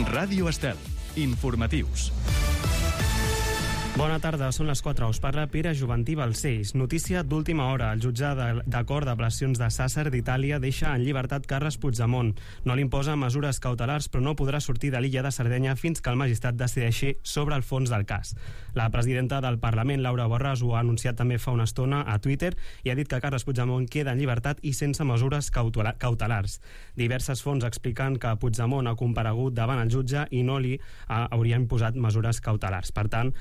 Ràdio Estel. Informatius. Bona tarda, són les 4. Us parla Pere Juventí Balcells. Notícia d'última hora. El jutge d'acord d'apel·lacions de Sàsser d'Itàlia deixa en llibertat Carles Puigdemont. No li imposa mesures cautelars, però no podrà sortir de l'illa de Sardenya fins que el magistrat decideixi sobre el fons del cas. La presidenta del Parlament, Laura Borràs, ho ha anunciat també fa una estona a Twitter i ha dit que Carles Puigdemont queda en llibertat i sense mesures cautelars. Diverses fonts expliquen que Puigdemont ha comparegut davant el jutge i no li haurien posat mesures cautelars. Per tant,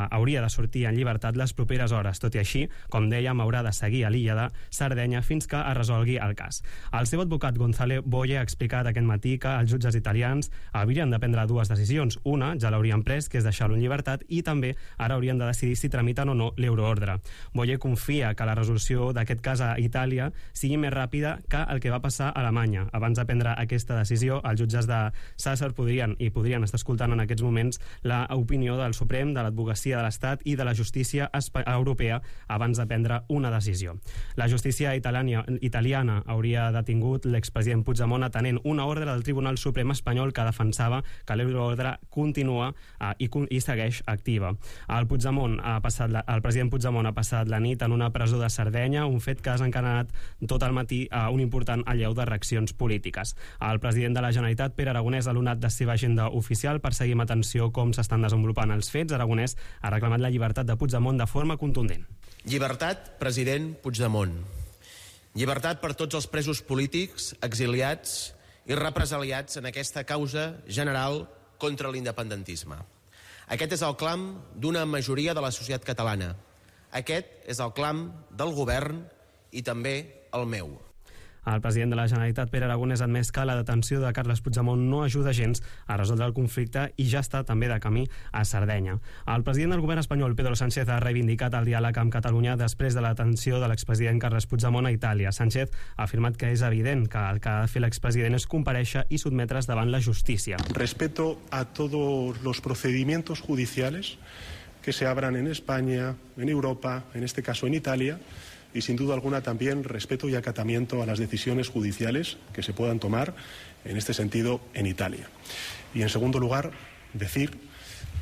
hauria de sortir en llibertat les properes hores. Tot i així, com dèiem, haurà de seguir a l'illa de Sardenya fins que es resolgui el cas. El seu advocat Gonzalo Boye ha explicat aquest matí que els jutges italians haurien de prendre dues decisions. Una, ja l'haurien pres, que és deixar-lo en llibertat, i també ara haurien de decidir si tramiten o no l'euroordre. Boye confia que la resolució d'aquest cas a Itàlia sigui més ràpida que el que va passar a Alemanya. Abans de prendre aquesta decisió, els jutges de Sàsser podrien estar escoltant en aquests moments l'opinió del Suprem, de l'advocacia de l'Estat i de la justícia europea abans de prendre una decisió. La justícia italiana hauria detingut l'expresident Puigdemont atenent una ordre del Tribunal Suprem espanyol que defensava que l'euroordre continua i segueix activa. El president Puigdemont ha passat la nit en una presó de Sardenya, un fet que ha desencadenat tot el matí un important allau de reaccions polítiques. El president de la Generalitat, Pere Aragonès, ha donat la seva agenda oficial per seguir amb atenció com s'estan desenvolupant els fets. Aragonès ha reclamat la llibertat de Puigdemont de forma contundent. Llibertat, president Puigdemont. Llibertat per tots els presos polítics, exiliats i represaliats en aquesta causa general contra l'independentisme. Aquest és el clam d'una majoria de la societat catalana. Aquest és el clam del govern i també el meu. El president de la Generalitat, Pere Aragonès, ha admès que la detenció de Carles Puigdemont no ajuda gens a resoldre el conflicte i ja està també de camí a Sardenya. El president del govern espanyol, Pedro Sánchez, ha reivindicat el diàleg amb Catalunya després de la detenció de l'expresident Carles Puigdemont a Itàlia. Sánchez ha afirmat que és evident que el que ha de fer l'expresident és comparèixer i sotmetre's davant la justícia. Respeto a todos los procedimientos judiciales que se abran en España, en Europa, en este caso en Italia, y sin duda alguna también respeto y acatamiento a las decisiones judiciales que se puedan tomar en este sentido en Italia. Y en segundo lugar, decir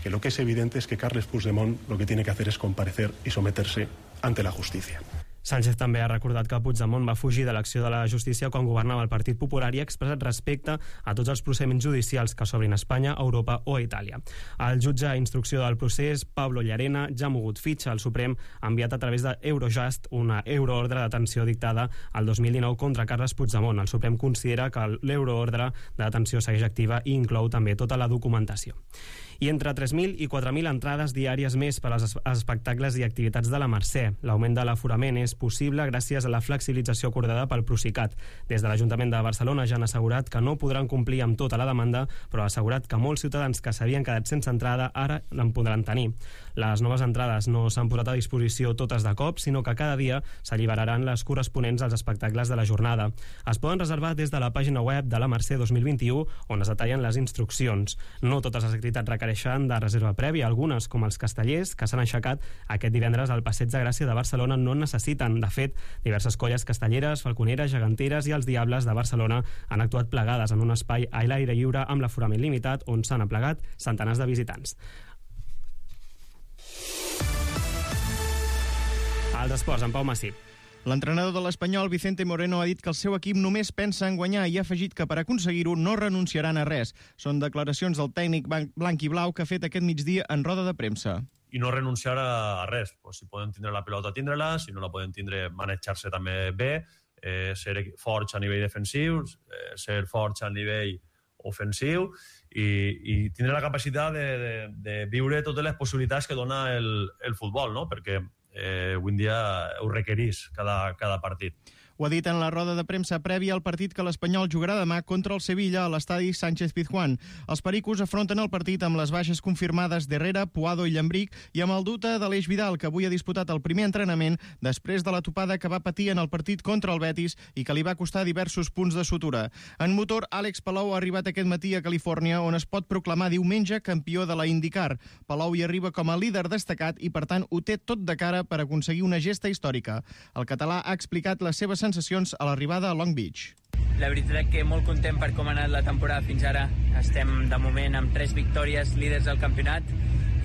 que lo que es evidente es que Carles Puigdemont lo que tiene que hacer es comparecer y someterse ante la justicia. Sánchez també ha recordat que Puigdemont va fugir de l'acció de la justícia quan governava el Partit Popular i ha expressat respecte a tots els procediments judicials que s'obrin a Espanya, Europa o a Itàlia. El jutge a instrucció del procés, Pablo Llarena, ja ha mogut fitxa. El Suprem ha enviat a través d'Eurojust una euroordre de detenció dictada el 2019 contra Carles Puigdemont. El Suprem considera que l'euroordre de detenció segueix activa i inclou també tota la documentació. I entre 3.000 i 4.000 entrades diàries més per als espectacles i activitats de la Mercè. L'augment de l'aforament és possible gràcies a la flexibilització acordada pel Procicat. Des de l'Ajuntament de Barcelona ja han assegurat que no podran complir amb tota la demanda, però ha assegurat que molts ciutadans que s'havien quedat sense entrada ara en podran tenir. Les noves entrades no s'han posat a disposició totes de cop, sinó que cada dia s'alliberaran les corresponents als espectacles de la jornada. Es poden reservar des de la pàgina web de la Mercè 2021, on es detallen les instruccions. No totes les activitats requereixen de reserva prèvia. Algunes, com els castellers, que s'han aixecat aquest divendres al Passeig de Gràcia de Barcelona, no necessiten. De fet, diverses colles castelleres, falconeres, geganteres i els Diables de Barcelona han actuat plegades en un espai a l'aire lliure amb l'aforament limitat on s'han aplegat centenars de visitants. Els esports, en Pau Massip. L'entrenador de l'Espanyol, Vicente Moreno, ha dit que el seu equip només pensa en guanyar i ha afegit que per aconseguir-ho no renunciaran a res. Són declaracions del tècnic blanc i blau que ha fet aquest migdia en roda de premsa. I no renunciar a res. Pues si poden tindre la pilota, tindre-la. Si no la poden tindre, manejar-se també bé. Ser forts a nivell defensiu, ser forts a nivell ofensiu i tindre la capacitat de viure totes les possibilitats que dona el futbol, no? Perquè avui en dia ho requereix cada partit. Ho ha dit en la roda de premsa prèvia al partit que l'Espanyol jugarà demà contra el Sevilla a l'estadi Sánchez-Pizjuán. Els pericos afronten el partit amb les baixes confirmades d'Herrera, Puado i Llambric i amb el dubte d'Aleix Vidal, que avui ha disputat el primer entrenament després de la topada que va patir en el partit contra el Betis i que li va costar diversos punts de sutura. En motor, Àlex Palou ha arribat aquest matí a Califòrnia, on es pot proclamar diumenge campió de la IndyCar. Palou hi arriba com a líder destacat i, per tant, ho té tot de cara per aconseguir una gesta històrica. El català ha explicat les seves sensacions a l'arribada a Long Beach. La veritat que molt content per com ha anat la temporada fins ara. Estem, de moment, amb 3 victòries, líders del campionat.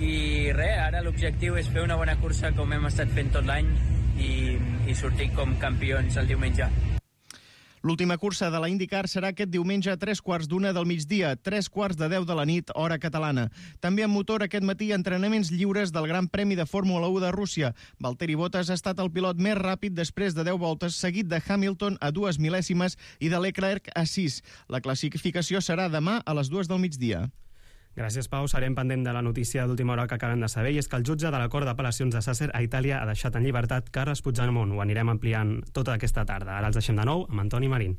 I res, ara l'objectiu és fer una bona cursa com hem estat fent tot l'any i sortir com campions el diumenge. L'última cursa de la IndyCar serà aquest diumenge a 3:15 del migdia, 9:45 de la nit, hora catalana. També amb motor aquest matí entrenaments lliures del Gran Premi de Fórmula 1 de Rússia. Valtteri Bottas ha estat el pilot més ràpid després de 10 voltes, seguit de Hamilton a 2 mil·lèsimes i de Leclerc a 6. La classificació serà demà a les 2 del migdia. Gràcies, Pau. Serem pendent de la notícia d'última hora que acabem de saber, i és que el jutge de la Cort d'Apel·lacions de Sàsser a Itàlia ha deixat en llibertat Carles Puigdemont. Ho anirem ampliant tota aquesta tarda. Ara els deixem de nou amb Antoni Marín.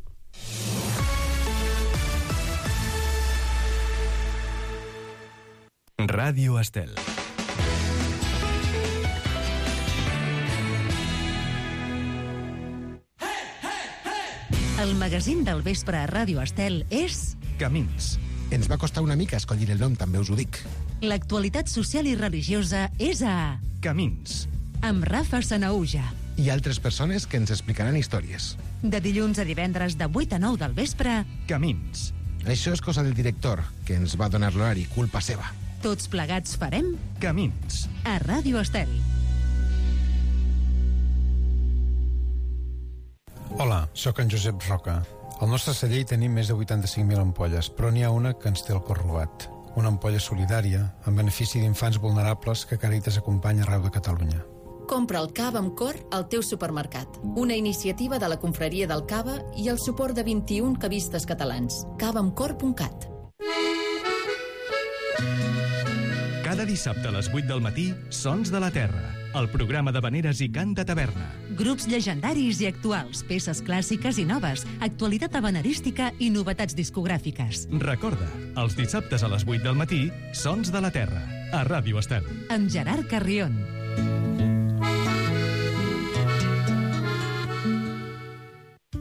Ràdio Estel. El magazín del vespre a Ràdio Estel és... Camins. Ens va costar una mica escollir el nom, també us ho dic. L'actualitat social i religiosa és a... Camins. Amb Rafa Sanaúja. I altres persones que ens explicaran històries. De dilluns a divendres de 8 a 9 del vespre... Camins. Això és cosa del director, que ens va donar l'horari, culpa seva. Tots plegats farem... Camins. A Ràdio Estel. Hola, sóc en Josep Roca. Al nostre celler hi tenim més de 85.000 ampolles, però n'hi ha una que ens té el cor robat. Una ampolla solidària, en benefici d'infants vulnerables que Càritas acompanya arreu de Catalunya. Compra el cava amb cor al teu supermercat. Una iniciativa de la Confraria del Cava i el suport de 21 cavistes catalans. cavaamcor.cat. Cada dissabte a les 8 del matí, Sons de la Terra, el programa de veneres i cant de taverna. Grups llegendaris i actuals, peces clàssiques i noves, actualitat habanerística i novetats discogràfiques. Recorda, els dissabtes a les 8 del matí, Sons de la Terra, a Ràdio Estel. Amb Gerard Carrion.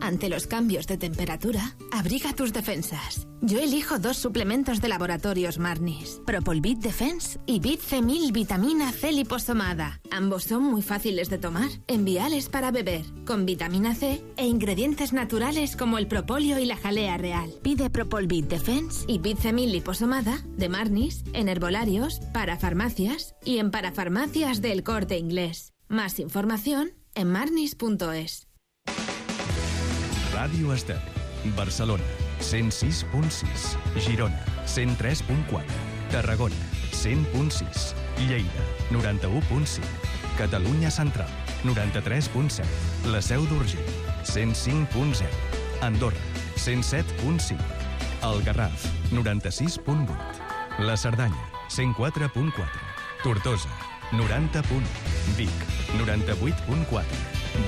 Ante los cambios de temperatura, abriga tus defensas. Yo elijo 2 suplementos de laboratorios Marnis, Propolvit Defense y Bit C1000 Vitamina C liposomada. Ambos son muy fáciles de tomar, enviales para beber, con vitamina C e ingredientes naturales como el propóleo y la jalea real. Pide Propolvit Defense y Bit C1000 liposomada de Marnis en herbolarios, parafarmacias y en parafarmacias del Corte Inglés. Más información en marnis.es. Ràdio Estel. Barcelona, 106.6. Girona, 103.4. Tarragona, 100.6. Lleida, 91.5. Catalunya Central, 93.7. La Seu d'Urgell, 105.0. Andorra, 107.5. El Garraf, 96.8. La Cerdanya, 104.4. Tortosa, 90.1. Vic, 98.4.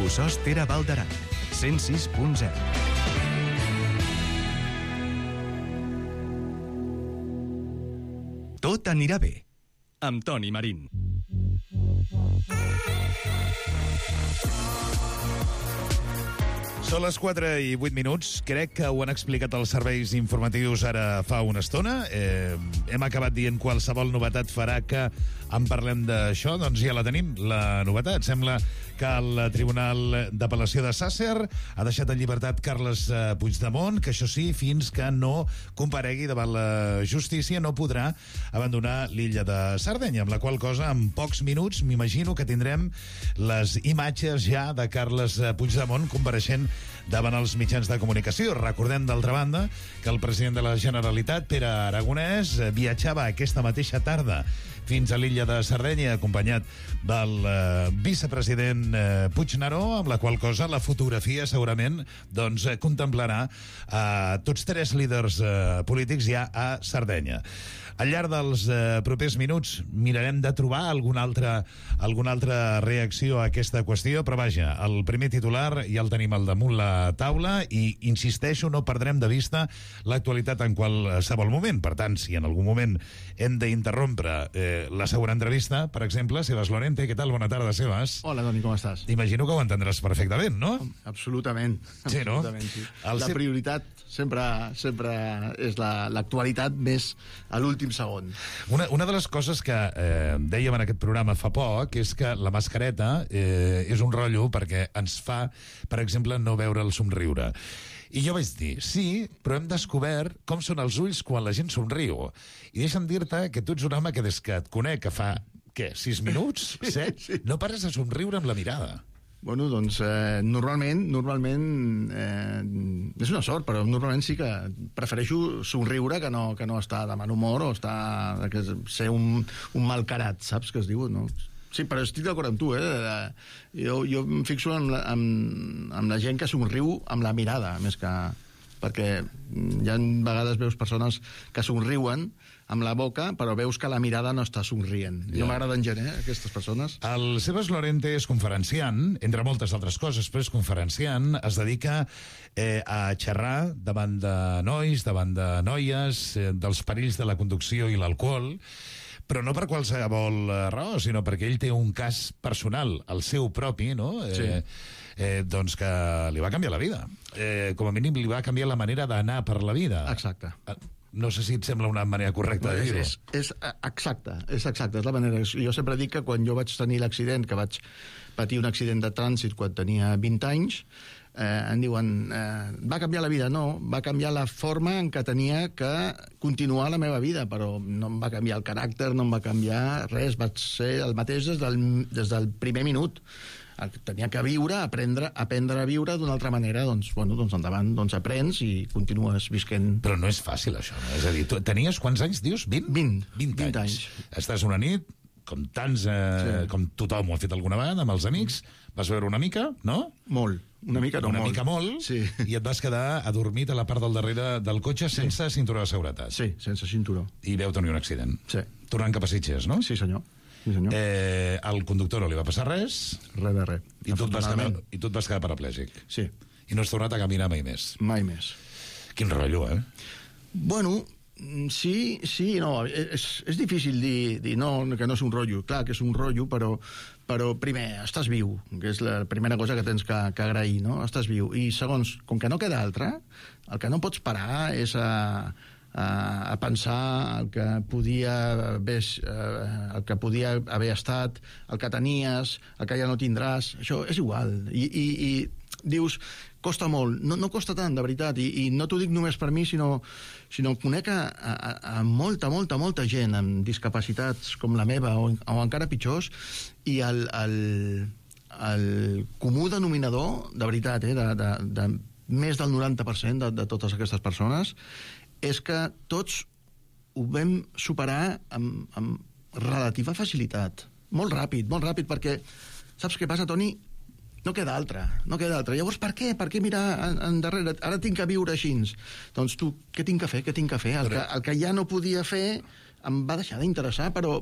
Bossòst Tere Val d'Aran, 106.0. Tot anirà bé, amb Toni Marín. Són les 4:08. Crec que ho han explicat els serveis informatius ara fa una estona. Hem acabat dient qualsevol novetat farà que en parlem d'això. Doncs ja la tenim, la novetat. Sembla que el Tribunal d'Apel·lació de Sàsser ha deixat en llibertat Carles Puigdemont, que això sí, fins que no comparegui davant la justícia no podrà abandonar l'illa de Sardenya, amb la qual cosa en pocs minuts m'imagino que tindrem les imatges ja de Carles Puigdemont compareixent davant els mitjans de comunicació. Recordem, d'altra banda, que el president de la Generalitat, Pere Aragonès, viatjava aquesta mateixa tarda fins a l'illa de Sardenya, acompanyat del vicepresident Puigneró, amb la qual cosa la fotografia segurament doncs, contemplarà tots 3 líders polítics ja a Sardenya. Al llarg dels propers minuts mirarem de trobar alguna altra reacció a aquesta qüestió, però vaja, el primer titular ja el tenim al damunt la taula i, insisteixo, no perdrem de vista l'actualitat en qualsevol moment. Per tant, si en algun moment hem d'interrompre la següent entrevista, per exemple, Sebas Lorente. Què tal? Bona tarda, Sebas. Hola, Toni, com estàs? Imagino que ho entendràs perfectament, no? Absolutament. Sí, no? Sí. La prioritat sempre és l'actualitat més a l'últim segon. Una de les coses que dèiem en aquest programa fa poc és que la mascareta és un rotllo perquè ens fa, per exemple, no veure el somriure. I jo vaig dir, sí, però hem descobert com són els ulls quan la gent somriu. I deixa'm dir-te que tu ets un home que des que et conec, que fa, 6 minuts? 7? Sí. No pares de somriure amb la mirada. Bueno, doncs, normalment és una sort, però normalment sí que prefereixo somriure que no estar de mal humor o ser un malcarat, saps que es diu, no? Sí, però estic d'acord amb tu, Jo em fixo en la gent que somriu amb la mirada, més que... Perquè hi ha vegades veus persones que somriuen amb la boca, però veus que la mirada no està somrient. Ja. No m'agraden gent, aquestes persones. El Sebas Lorente és conferenciant, entre moltes altres coses, però és conferenciant, es dedica a xerrar davant de nois, davant de noies, dels perills de la conducció i l'alcohol, però no per qualsevol raó, sinó perquè ell té un cas personal, el seu propi, no? Sí. Doncs que li va canviar la vida. Com a mínim li va canviar la manera d'anar per la vida. Exacte. No sé si et sembla una manera correcta de dir-ho. És exacte, és la manera. Jo sempre dic que quan jo vaig tenir l'accident, que vaig patir un accident de trànsit quan tenia 20 anys, em diuen, va canviar la vida? No, va canviar la forma en què tenia que continuar la meva vida, però no em va canviar el caràcter, no em va canviar res, vaig ser el mateix des del primer minut. Tenia que viure, aprendre a viure d'una altra manera, doncs endavant, aprens i continues visquent. Però no és fàcil, això, no? És a dir, tu tenies quants anys, dius? 20? 20 anys. Estàs una nit, com tants, com tothom ho ha fet alguna vegada, amb els amics, vas veure una mica, no? Molt. Una mica molt, sí. I et vas quedar adormit a la part del darrere del cotxe sense cinturó de seguretat. Sí, sense cinturó. I veu tenir un accident. Sí. Tornant cap a Sitges, no? Sí, senyor. Sí, senyor. Al conductor no li va passar res. Res de res. I tu et vas quedar paraplègic. Sí. I no has tornat a caminar mai més. Mai més. Quin rotllo, Bueno, sí, no. És difícil dir no, que no és un rotllo. Clar que és un rotllo, però primer, estàs viu, que és la primera cosa que tens que agrair, no? Estàs viu. I segons, com que no queda altra, el que no pots parar és a pensar el que podia haver estat, el que tenies, el que ja no tindràs. Això és igual. I dius, costa molt. No costa tant, de veritat. I no t'ho dic només per mi, sinó conec a molta gent amb discapacitats com la meva, o encara pitjors, i el comú denominador, de veritat, de més del 90% de totes aquestes persones, és que tots ho vam superar amb relativa facilitat. Molt ràpid, perquè saps què passa, Toni? No queda altra. Llavors, per què? Per què mirar endarrere? Ara tinc que viure així. Doncs tu, què tinc que fer? El que ja no podia fer em va deixar d'interessar, però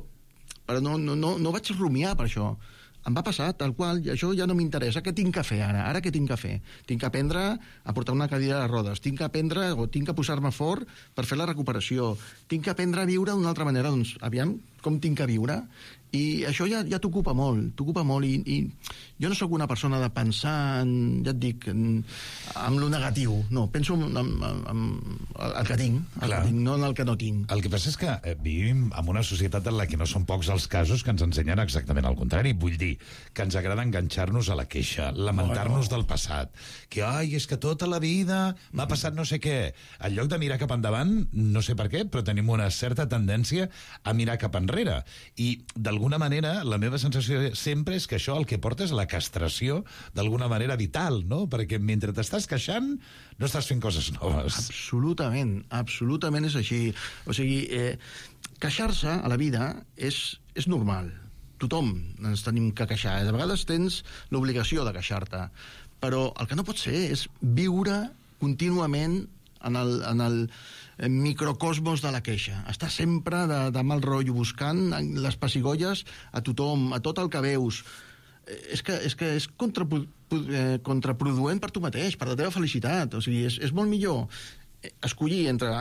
no vaig rumiar per això. Em va passar tal qual, i això ja no m'interessa. Què tinc que fer ara? Ara què tinc que fer? Tinc que aprendre a portar una cadira de rodes, tinc que posar-me fort per fer la recuperació, tinc que aprendre a viure d'una altra manera. Doncs, aviam, com tinc que viure? I això ja t'ocupa molt, i jo no sóc una persona de pensar, ja et dic, en lo negatiu. No, penso en el que tinc, no en el que no tinc. El que passa és que vivim en una societat en la que no són pocs els casos que ens ensenyen exactament el contrari. Vull dir, que ens agrada enganxar-nos a la queixa, lamentar-nos del passat, que, és que tota la vida m'ha passat no sé què. En lloc de mirar cap endavant, no sé per què, però tenim una certa tendència a mirar cap enrere. I, d'alguna manera, la meva sensació sempre és que això el que porta és la castració d'alguna manera vital, no? Perquè mentre t'estàs queixant no estàs fent coses noves. Absolutament és així. O sigui, queixar-se a la vida és normal. Tothom ens tenim que queixar. A vegades tens l'obligació de queixar-te. Però el que no pot ser és viure contínuament en el microcosmos de la queixa. Està sempre de mal rotllo, buscant les pessigolles a tothom, a tot el que veus. És que és contraproduent per tu mateix, per la teva felicitat. O sigui, és molt millor escollir entre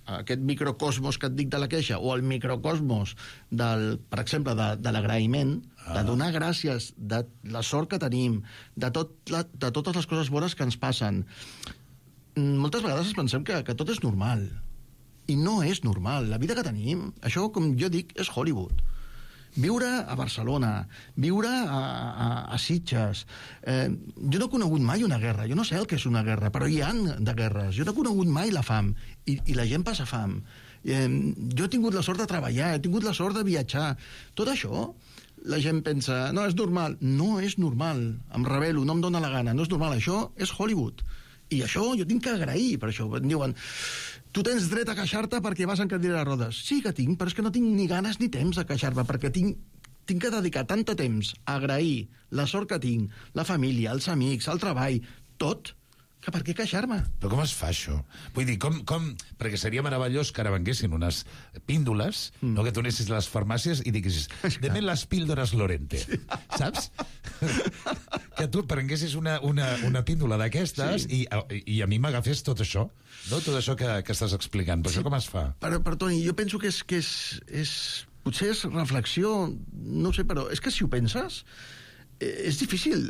aquest microcosmos que et dic de la queixa o el microcosmos, per exemple, de l'agraïment, de donar gràcies de la sort que tenim, de totes les coses bones que ens passen. Moltes vegades pensem que tot és normal. I no és normal. La vida que tenim, això, com jo dic, és Hollywood. Viure a Barcelona, viure a Sitges. Jo no he conegut mai una guerra, jo no sé el que és una guerra, però hi ha de guerres. Jo no he conegut mai la fam, i la gent passa fam. Jo he tingut la sort de treballar, he tingut la sort de viatjar. Tot això, la gent pensa, no, és normal. No és normal, em rebel·lo, no em dóna la gana, no és normal, això és Hollywood. I això jo tinc que agrair, per això. Em diuen, tu tens dret a queixar-te perquè vas en cadira de rodes. Sí que tinc, però és que no tinc ni ganes ni temps de queixar-me, perquè tinc que dedicar tant de temps a agrair la sort que tinc, la família, els amics, el treball, tot, que per què queixar-me? Però com es fa això? Vull dir, com... Perquè seria meravellós que ara venguessin unes píndoles, no, que tu anessis a les farmàcies i diguessis, deme les píldores Lorente, saps? Que tu prenguessis una píndola d'aquestes i a mi m'agafés tot això, no? Tot això que estàs explicant. Però això com es fa? Però Toni, jo penso que és potser és reflexió, no sé, però és que si ho penses, és difícil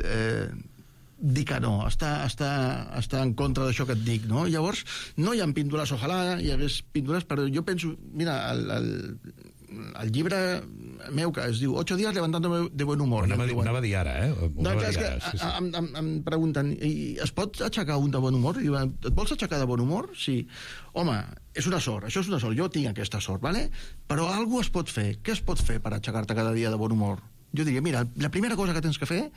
dir que no, està en contra d'això que et dic, no? Llavors, no hi ha píndoles, ojalà hi hagués píndoles, però jo penso, mira, el llibre meu que es diu 8 días levantándome de buen humor. Anava a dir ara, Em pregunten, es pot aixecar un de bon humor? I diuen, et vols aixecar de bon humor? Sí. Home, és una sort, això és una sort, jo tinc aquesta sort, ¿vale? Però alguna es pot fer. Què es pot fer per aixecar-te cada dia de bon humor? Jo diria, mira, la primera cosa que tens que fer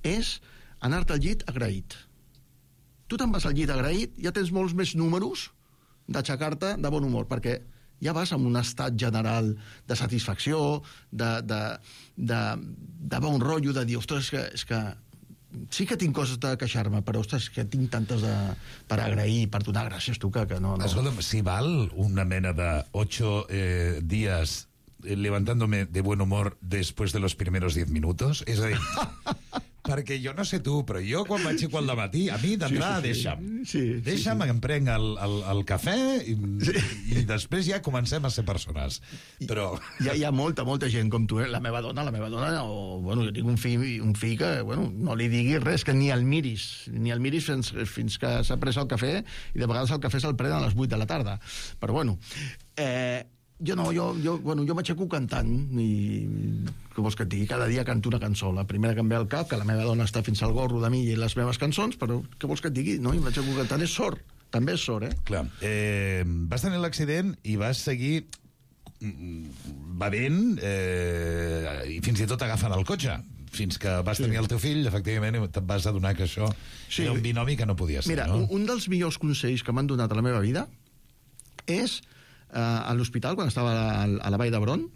és anar-te al llit agraït. Tu te'n vas al llit agraït, ja tens molts més números d'aixecar-te de bon humor, perquè ja vas en un estat general de satisfacció, de bon rotllo, de dir, ostres, és que sí que tinc coses de queixar-me, però, ostres, que tinc tantes per agrair, per donar gràcies, tu, que no... Escolta'm, si val una mena de 8 días levantándome de buen humor después de los primeros 10 minutos, és a dir... Perquè jo no sé tu, però jo quan m'aixeco al dematí, a mi d'entrada deixa'm, em prenc el cafè i després ja comencem a ser persones. Però... Hi ha molta gent com tu, la meva dona, bueno, jo tinc un fill que, bueno, no li diguis res, que ni el miris fins que s'ha pres el cafè, i de vegades el cafè se'l pren a les 8 de la tarda. Però bueno, jo m'aixeco cantant, i què vols que et digui? Cada dia canto una cançó. La primera que em ve al cap, que la meva dona està fins al gorro de mi i les meves cançons, però què vols que et digui? No? I m'aixeco cantant, és sort. També és sort, Clar. Vas tenir l'accident i vas seguir bevent i fins i tot agafant el cotxe. Fins que vas tenir el teu fill, efectivament, te'n vas adonar que això era un binomi que no podia ser, no? Un dels millors consells que m'han donat a la meva vida és a l'hospital, quan estava a la Vall d'Hebron,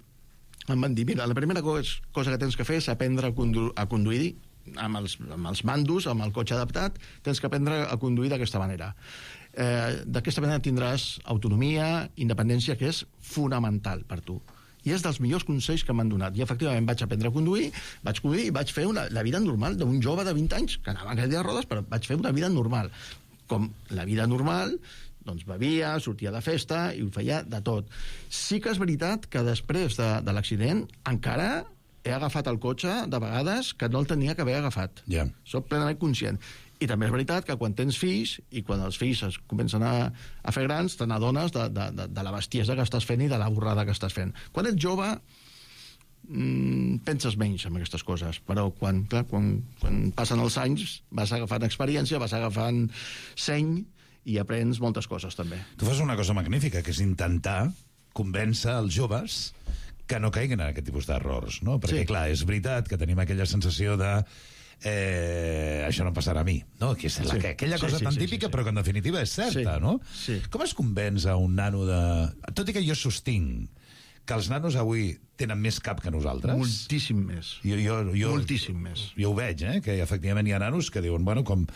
em van dir, mira, la primera cosa que tens que fer és aprendre a conduir amb els mandos, amb el cotxe adaptat, tens que aprendre a conduir d'aquesta manera. D'aquesta manera tindràs autonomia, independència, que és fonamental per tu. I és dels millors consells que m'han donat. I efectivament vaig aprendre a conduir, i vaig fer la vida normal d'un jove de 20 anys, que anava en cadira de rodes, però vaig fer una vida normal. Com la vida normal, doncs bevia, sortia de festa i ho feia de tot. Sí que és veritat que després de l'accident encara he agafat el cotxe de vegades que no el tenia que haver agafat. Soc plenament conscient. I també és veritat que quan tens fills i quan els fills es comencen a fer grans, te n'adones de la bestiesa que estàs fent i de la borrada que estàs fent. Quan ets jove penses menys en aquestes coses, però quan passen els anys vas agafant experiència, vas agafant seny i aprens moltes coses, també. Tu fas una cosa magnífica, que és intentar convèncer els joves que no caiguin en aquest tipus d'errors, no? Perquè, clar, és veritat que tenim aquella sensació de això no passarà a mi, no? Que és aquella cosa tan típica, però que en definitiva és certa, no? Com es convenç a un nano de... Tot i que jo sostinc que els nanos avui tenen més cap que nosaltres. Moltíssim més. Moltíssim més. Jo ho veig, que efectivament hi ha nanos que diuen, bueno, com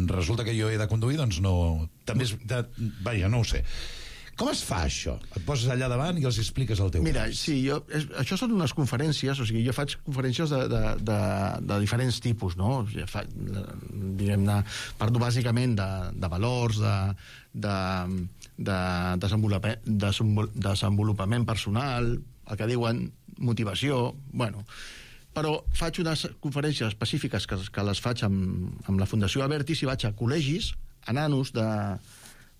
resulta que jo he de conduir, doncs no... També és... Vaja, no ho sé. Com es fa això? Et poses allà davant i els expliques el teu cas. Sí, això són unes conferències, o sigui, jo faig conferències de diferents tipus, no? Diguem-ne, parlo bàsicament de valors, de desenvolupament personal, el que diuen motivació, bueno... Però faig unes conferències específiques que les faig amb la Fundació Abertis i vaig a col·legis, a nanos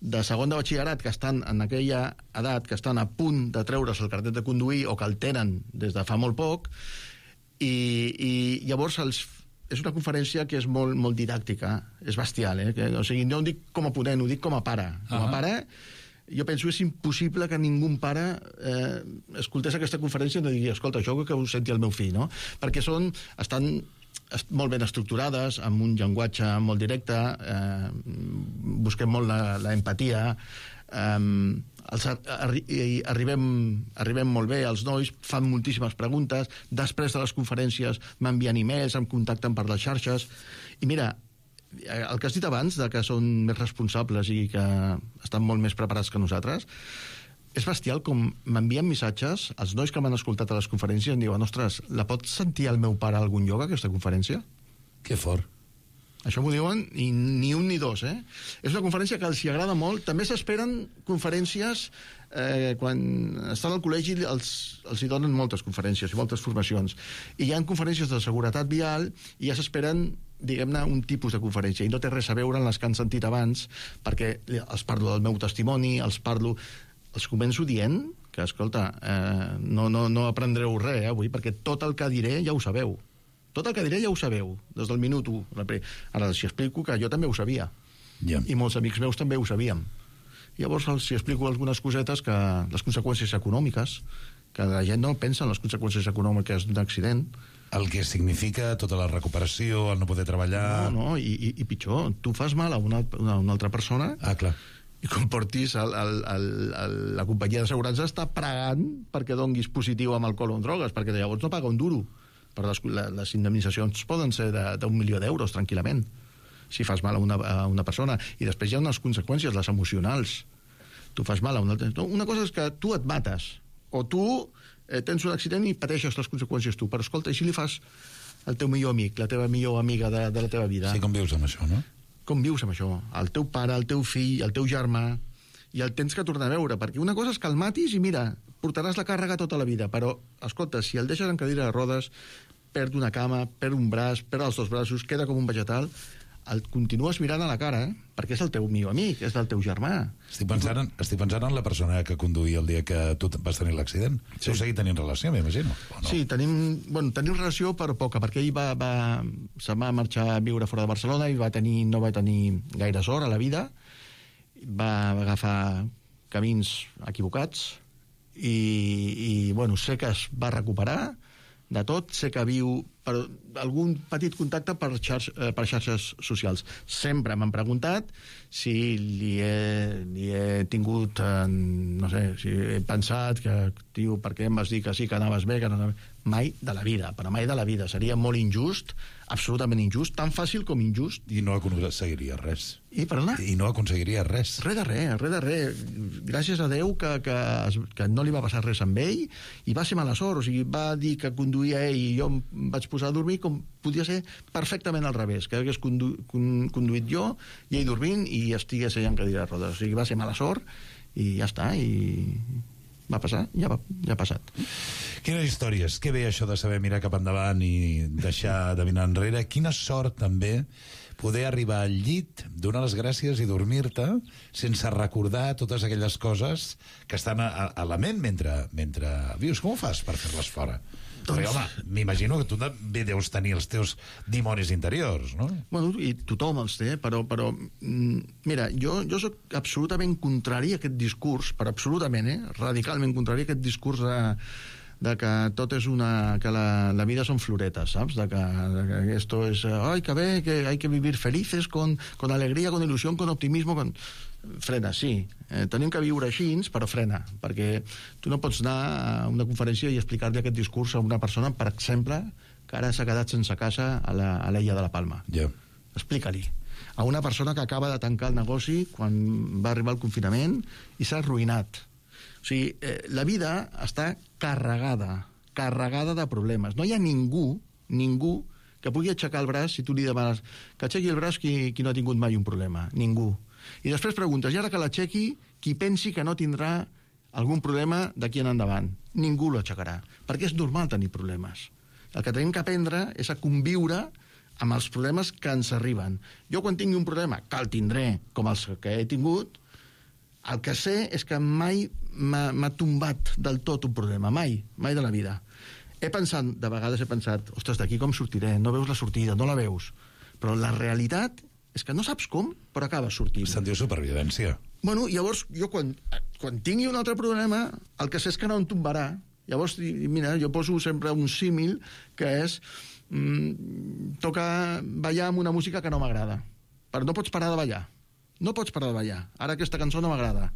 de segon de batxillerat que estan en aquella edat, que estan a punt de treure's el carnet de conduir o que el tenen des de fa molt poc, i llavors és una conferència que és molt, molt didàctica, és bestial, o sigui, no ho dic com a ponent, ho dic com a pare. Com a pare, jo penso que és impossible que ningú pare escoltés aquesta conferència i no digui, escolta, això que ho senti el meu fill, no? Perquè estan molt ben estructurades, amb un llenguatge molt directe, busquem molt l'empatia, arribem molt bé, els nois fan moltíssimes preguntes, després de les conferències m'envien e-mails, em contacten per les xarxes, i mira, el que has dit abans, de que són més responsables i que estan molt més preparats que nosaltres, és bestial com m'envien missatges, els nois que m'han escoltat a les conferències em diuen, ostres, la pot sentir el meu pare a algun lloc, aquesta conferència? Que fort. Això m'ho diuen, i ni un ni dos, És una conferència que els hi agrada molt. També s'esperen conferències, quan estan al col·legi els hi donen moltes conferències i moltes formacions. I hi ha conferències de seguretat vial i ja s'esperen, diguem-ne, un tipus de conferència. I no té res a veure amb les que han sentit abans, perquè els parlo del meu testimoni, els començo dient que, escolta, no aprendreu res avui, perquè tot el que diré ja ho sabeu. Tot el que diré ja ho sabeu, des del minut 1. Ara els explico que jo també ho sabia. I molts amics meus també ho sabíem. Llavors els explico algunes cosetes, que les conseqüències econòmiques, que la gent no pensa en les conseqüències econòmiques d'un accident. El que significa tota la recuperació, el no poder treballar... No, i pitjor, tu fas mal a una altra persona... Ah, clar. I com portis, la companyia d'assegurança està pregant perquè donguis positiu amb alcohol o amb drogues, perquè llavors no paga un duro. Però les indemnitzacions poden ser d'1.000.000 d'euros, tranquil·lament, si fas mal a una persona. I després hi ha unes conseqüències, les emocionals. Tu fas mal a una altra... Una cosa és que tu et mates, o tu tens un accident i pateixes les conseqüències tu. Però escolta, i si li fas al teu millor amic, la teva millor amiga de la teva vida? Sí, com vius amb això, no? Com vius amb això? El teu pare, el teu fill, el teu germà, i el tens que tornar a veure, perquè una cosa és que el matis i mira, portaràs la càrrega tota la vida, però, escolta, si el deixes en cadira de rodes, perd una cama, perd un braç, perd els dos braços, queda com un vegetal, el continues mirant a la cara, perquè és el teu millor amic, és del teu germà. Estic pensant en la persona que conduïa el dia que tu vas tenir l'accident. Sí. Heu seguit tenint relació, m'imagino? No? Sí, tenim relació per poca, perquè ell se'n va marxar a viure fora de Barcelona i no va tenir gaire sort a la vida, va agafar camins equivocats i sé que es va recuperar de tot, sé que viu per algun petit contacte per xarxes socials. Sempre m'han preguntat si li he tingut, no sé, si he pensat que, tio, per què em vas dir que sí, que anaves bé, que no anaves... Mai de la vida, però mai de la vida. Seria molt injust, absolutament injust, tan fàcil com injust. I no aconseguiria res. Perdona? I no aconseguiria res. Res de res. Gràcies a Déu que no li va passar res amb ell i va ser mala sort, o sigui, va dir que conduïa ell i jo em vaig posar a dormir com podia ser perfectament al revés, que hagués conduït jo i ell dormint i estigués ell en cadira de rodes. O sigui, va ser mala sort i ja està, i va passar, ja ha passat. Quines històries, que bé això de saber mirar cap endavant i deixar de mirar enrere. Quina sort també poder arribar al llit, donar les gràcies i dormir-te sense recordar totes aquelles coses que estan a la ment mentre vius. Com ho fas per fer-les fora? Perquè, home, m'imagino que tu també deus tenir els teus dimonis interiors, no? Bueno, i tothom els té, però mira, jo soc absolutament contrari a aquest discurs, però absolutament, radicalment contrari a aquest discurs de que tot és que la vida són floretes, saps? De que esto es, ay, que bé, que hay que vivir felices, con alegría, con ilusión, con optimismo, frena, sí, tenim que viure així, però frena, perquè tu no pots anar a una conferència i explicar-li aquest discurs a una persona, per exemple, que ara s'ha quedat sense casa a l'illa de la Palma. Explica-li. A una persona que acaba de tancar el negoci quan va arribar el confinament i s'ha arruïnat. O sigui, la vida està carregada de problemes. No hi ha ningú que pugui aixecar el braç si tu li demanes que aixequi el braç qui no ha tingut mai un problema. Ningú. I després preguntes, i ara que l'aixequi, qui pensi que no tindrà algun problema d'aquí en endavant? Ningú l'aixecarà, perquè és normal tenir problemes. El que tenim que aprendre és a conviure amb els problemes que ens arriben. Jo quan tingui un problema, que el tindré com els que he tingut, El que sé és que mai m'ha tombat del tot un problema, mai de la vida. De vegades he pensat, ostres, d'aquí com sortiré? No veus la sortida, no la veus. Però la realitat és que no saps com, però acabes sortint. Se'n diu supervivència. Bueno, llavors, jo quan tingui un altre problema, el que sé és que no em tombarà. Llavors, mira, jo poso sempre un símil que és toca ballar amb una música que no m'agrada. Però no pots parar de ballar. No pots parar de ballar. Ara aquesta cançó no m'agrada.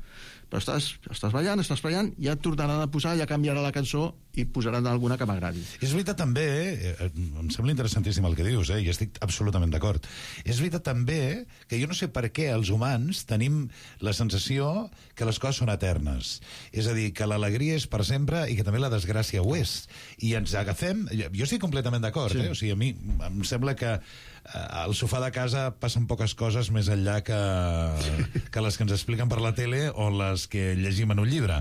Però estàs ballant, ja et tornaran a posar, ja canviarà la cançó i posaran alguna que m'agradi. És veritat també, em sembla interessantíssim el que dius, i estic absolutament d'acord. És veritat també que jo no sé per què els humans tenim la sensació que les coses són eternes. És a dir, que l'alegria és per sempre i que també la desgràcia ho és. I ens agafem... Jo estic completament d'acord, O sigui, a mi em sembla que al sofà de casa passen poques coses més enllà que les que ens expliquen per la tele o les que llegim en un llibre.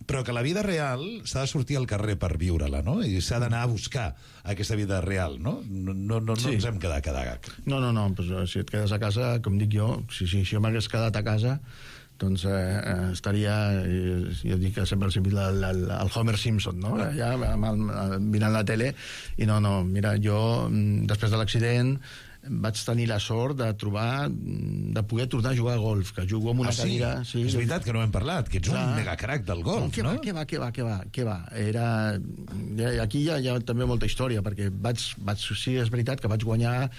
Però que la vida real s'ha de sortir al carrer per viure-la, no? I s'ha d'anar a buscar aquesta vida real, no? No ens hem quedat cada gag. No, pues, si et quedes a casa, com dic jo, si jo m'hagués quedat a casa, doncs estaria, jo dic que sempre el Homer Simpson, no? Ja mirant la tele, i mira, jo després de l'accident vaig tenir la sort de poder tornar a jugar a golf, que jugo amb una cadira... Sí, és veritat que no hem parlat, que ets un megacrac del golf, no? Què va? Aquí hi ha també molta història, perquè sí, és veritat que vaig guanyar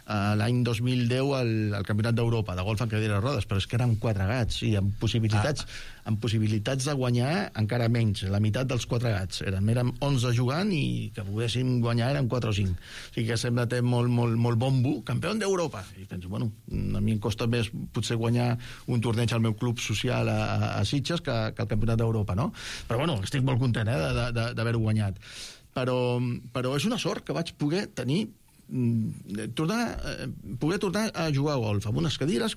l'any 2010 al Campionat d'Europa de golf en cadira de rodes, però és que eren 4 gats i amb possibilitats de guanyar encara menys, la meitat dels 4 gats. Érem 11 jugant i que poguéssim guanyar eren 4 o 5. O sigui que sembla que té molt bombo, campió d'Europa. I penso, a mi em costa més potser guanyar un torneig al meu club social a Sitges que el Campionat d'Europa, no? Però estic molt content d'haver-ho guanyat. Però és una sort que vaig poder tenir poder tornar a jugar a golf amb unes cadires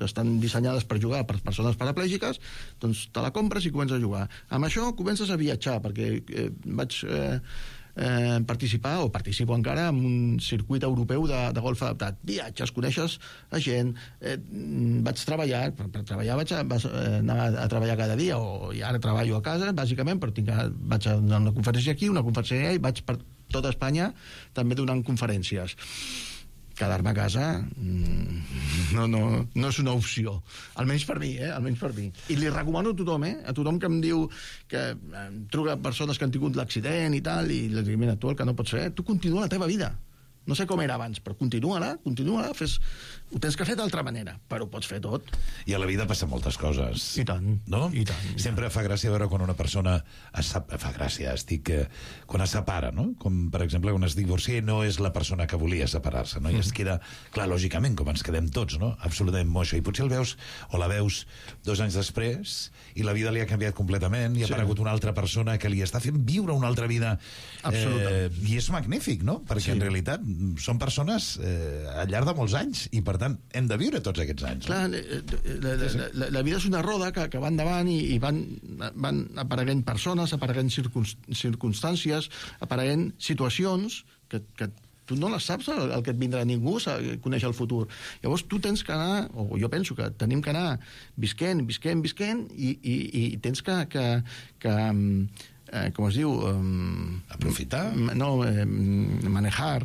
estan dissenyades per jugar per persones paraplègiques, doncs te la compres i comences a jugar. Amb això comences a viatjar, perquè vaig participo encara en un circuit europeu de golf adaptat. Viatges, coneixes a gent, vaig treballar, per treballar vaig anar a treballar cada dia, i ara treballo a casa, bàsicament, però vaig a donar una conferència aquí, una conferència allà, i vaig per tota Espanya també donant conferències. Quedar-me a casa no és una opció, almenys per mi, I li recomano a tothom, a tothom que em diu que truca persones que han tingut l'accident i tal, i li dic, mira, tu el que no pots fer, tu continua la teva vida. No sé com era abans, però continua-la, ho tens que fer d'altra manera, però ho pots fer tot. I a la vida passen moltes coses. I tant. No? I tant. Sempre fa gràcia veure quan una persona quan es separa, no? Com, per exemple, quan es divorcia i no és la persona que volia separar-se, no? I es queda, clar, lògicament, com ens quedem tots, no? Absolutament moixa. I potser el veus, o la veus 2 anys després, i la vida li ha canviat completament, i ha aparegut una altra persona que li està fent viure una altra vida. I és magnífic, no? Perquè en realitat són persones al llarg de molts anys i per tant hem de viure tots aquests anys. Clar, la vida és una roda que va endavant i van apareguent persones, apareguent circumstàncies, apareguent situacions que tu no les saps el que et vindrà, ningú coneix el futur. Llavors tu tens que anar, o jo penso que tenim que anar visquent i tens que com es diu... aprofitar? No, manejar.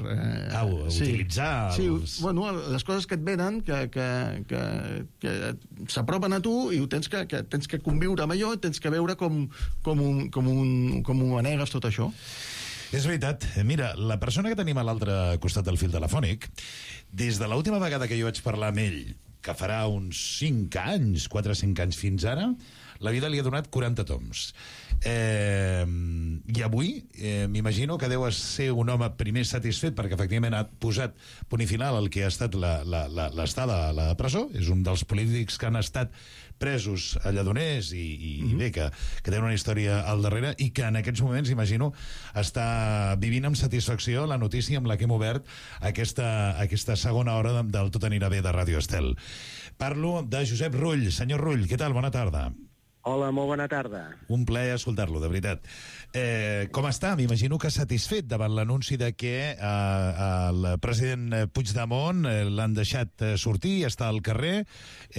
Utilitzar. Sí, les coses que et venen, que s'apropen a tu i tens que conviure amb allò, tens que veure com ho manegues tot això. És veritat. Mira, la persona que tenim a l'altre costat del fil telefònic, des de l'última vegada que jo vaig parlar amb ell, que farà uns 5 anys, 4 o 5 anys fins ara, la vida li ha donat 40 toms. I avui m'imagino que deu ser un home primer satisfet perquè efectivament ha posat punt i final al que ha estat l'estada a la presó. És un dels polítics que han estat presos a Lledoners i bé, que tenen una història al darrere i que en aquests moments, imagino, està vivint amb satisfacció la notícia amb la que hem obert aquesta segona hora del Tot anirà bé de Ràdio Estel. Parlo de Josep Rull. Senyor Rull, què tal? Bona tarda. Hola, molt bona tarda. Un plaer escoltar-lo, de veritat. Com està? M'imagino que satisfet davant l'anunci de que el president Puigdemont l'han deixat sortir, està al carrer,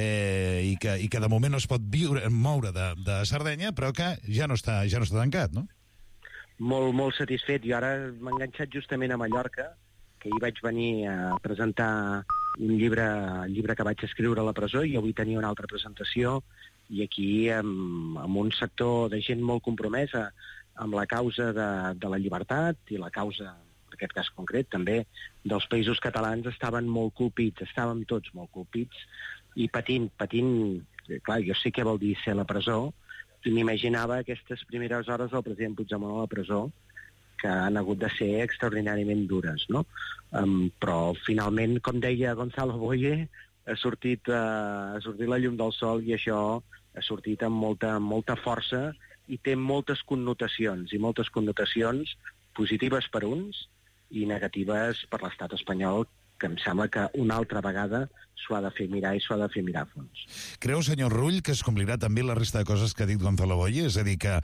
i que de moment no es pot moure de Sardenya, però que ja no està tancat, no? Molt satisfet. Jo ara m'he enganxat justament a Mallorca, que hi vaig venir a presentar un llibre que vaig escriure a la presó, i avui tenia una altra presentació, i aquí amb un sector de gent molt compromesa amb la causa de la llibertat i la causa, en aquest cas concret, també dels països catalans, estaven molt colpits, estàvem tots molt colpits i patint. Clar, jo sé què vol dir ser a la presó, i m'imaginava aquestes primeres hores del president Puigdemont a la presó, que han hagut de ser extraordinàriament dures, no? Però finalment, com deia Gonzalo Boye, ha sortit la llum del sol, i això ha sortit amb molta força i té moltes connotacions positives per uns i negatives per l'estat espanyol, que em sembla que una altra vegada s'ho ha de fer mirar, i s'ho ha de fer mirar a fons. Creu, senyor Rull, que es complirà també la resta de coses que ha dit Gonzalo Boye? És a dir, que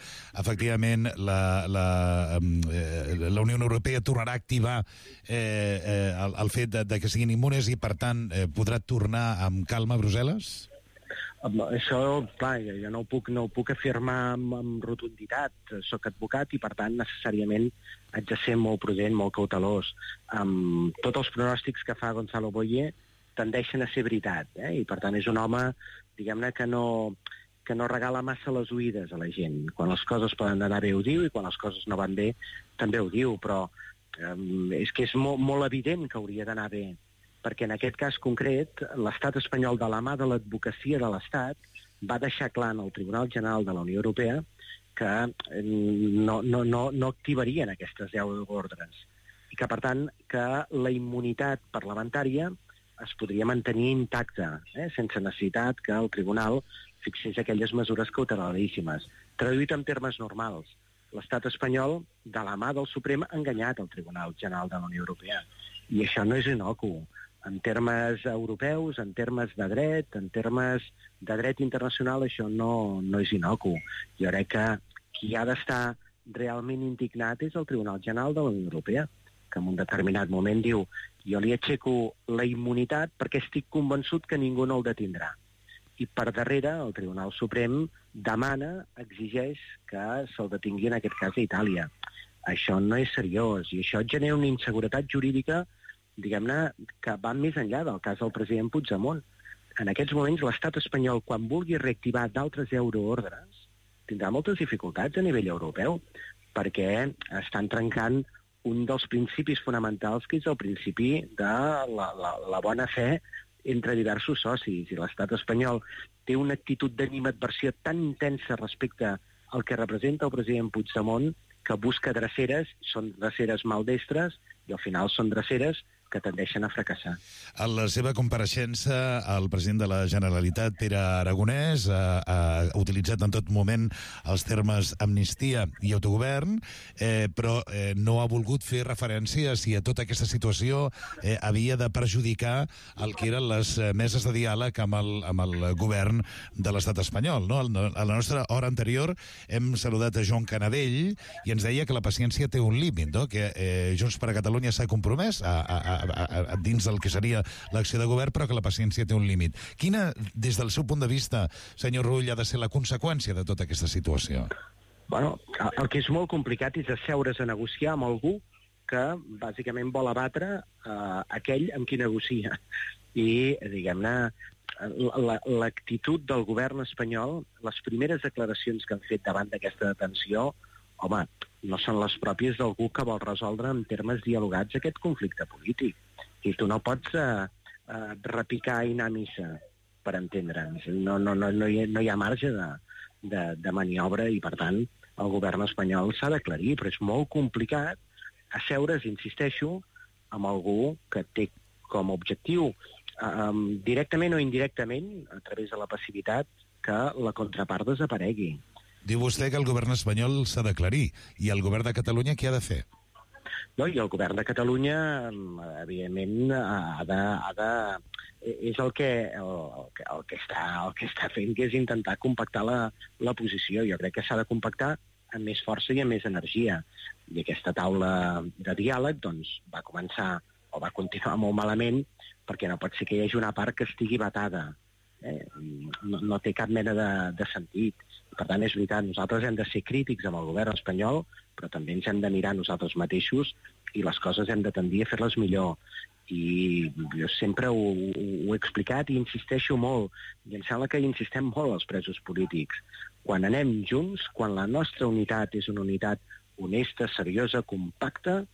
efectivament la Unió Europea tornarà a activar el fet de que siguin immunes i, per tant, podrà tornar amb calma a Brussel·les? Això, clar, jo no ho puc afirmar amb rotunditat. Soc advocat i, per tant, necessàriament haig de ser molt prudent, molt cautelós. Tots els pronòstics que fa Gonzalo Boye tendeixen a ser veritat, i, per tant, és un home, diguem-ne, que no regala massa les oïdes a la gent. Quan les coses poden anar bé ho diu, i quan les coses no van bé també ho diu, però és que és molt evident que hauria d'anar bé, perquè en aquest cas concret l'estat espanyol, de la mà de l'advocacia de l'Estat, va deixar clar en el Tribunal General de la Unió Europea que no activarien aquestes 10 ordres, i que, per tant, que la immunitat parlamentària es podria mantenir intacta, sense necessitat que el Tribunal fixés aquelles mesures cautelaríssimes. Traduït en termes normals, l'estat espanyol, de la mà del Suprem, ha enganyat el Tribunal General de la Unió Europea, i això no és innocu. En termes europeus, en termes de dret, en termes de dret internacional, això no és innocu. Jo crec que qui ha d'estar realment indignat és el Tribunal General de la Unió Europea, que en un determinat moment diu: jo li aixeco la immunitat perquè estic convençut que ningú no el detindrà. I per darrere el Tribunal Suprem demana, exigeix que se'l detingui, en aquest cas a Itàlia. Això no és seriós, i això genera una inseguretat jurídica, diguem-ne, que va més enllà del cas del president Puigdemont. En aquests moments l'estat espanyol, quan vulgui reactivar d'altres euroordres, tindrà moltes dificultats a nivell europeu, perquè estan trencant un dels principis fonamentals, que és el principi de la bona fe entre diversos socis, i l'estat espanyol té una actitud d'animadversió tan intensa respecte al que representa el president Puigdemont, que busca dreceres, són dreceres maldestres, i al final són dreceres que tendeixen a fracassar. En la seva compareixença, el president de la Generalitat, Pere Aragonès, ha utilitzat en tot moment els termes amnistia i autogovern, però no ha volgut fer referència si a tota aquesta situació havia de perjudicar el que eren les meses de diàleg amb el govern de l'estat espanyol. No? A la nostra hora anterior hem saludat a Joan Canadell i ens deia que la paciència té un límit, no? Que Junts per a Catalunya s'ha compromès dins del que seria l'acció de govern, però que la paciència té un límit. Quina, des del seu punt de vista, senyor Rull, ha de ser la conseqüència de tota aquesta situació? Bueno, el que és molt complicat és asseure's a negociar amb algú que bàsicament vol abatre aquell amb qui negocia. I, diguem-ne, l'actitud del govern espanyol, les primeres declaracions que han fet davant d'aquesta detenció, home, no són les pròpies d'algú que vol resoldre en termes dialogats aquest conflicte polític. I tu no pots repicar i anar a missa, per entendre'ns. No hi ha marge de maniobra, i, per tant, el govern espanyol s'ha d'aclarir, però és molt complicat asseure's, insisteixo, amb algú que té com a objectiu, directament o indirectament, a través de la passivitat, que la contrapart desaparegui. Diu vostè que el govern espanyol s'ha d'aclarir, i el govern de Catalunya què ha de fer? No? I el govern de Catalunya, evidentment, és el que està fent, que és intentar compactar la posició. Jo crec que s'ha de compactar amb més força i amb més energia. I aquesta taula de diàleg doncs, va començar o va continuar molt malament, perquè no pot ser que hi hagi una part que estigui vetada. No té cap mena de sentit. Per tant, és veritat, nosaltres hem de ser crítics amb el govern espanyol, però també ens hem de mirar nosaltres mateixos i les coses hem de tendir a fer-les millor. I jo sempre ho he explicat i insisteixo molt, i em sembla que hi insistem molt els presos polítics. Quan anem junts, quan la nostra unitat és una unitat honesta, seriosa, compacta,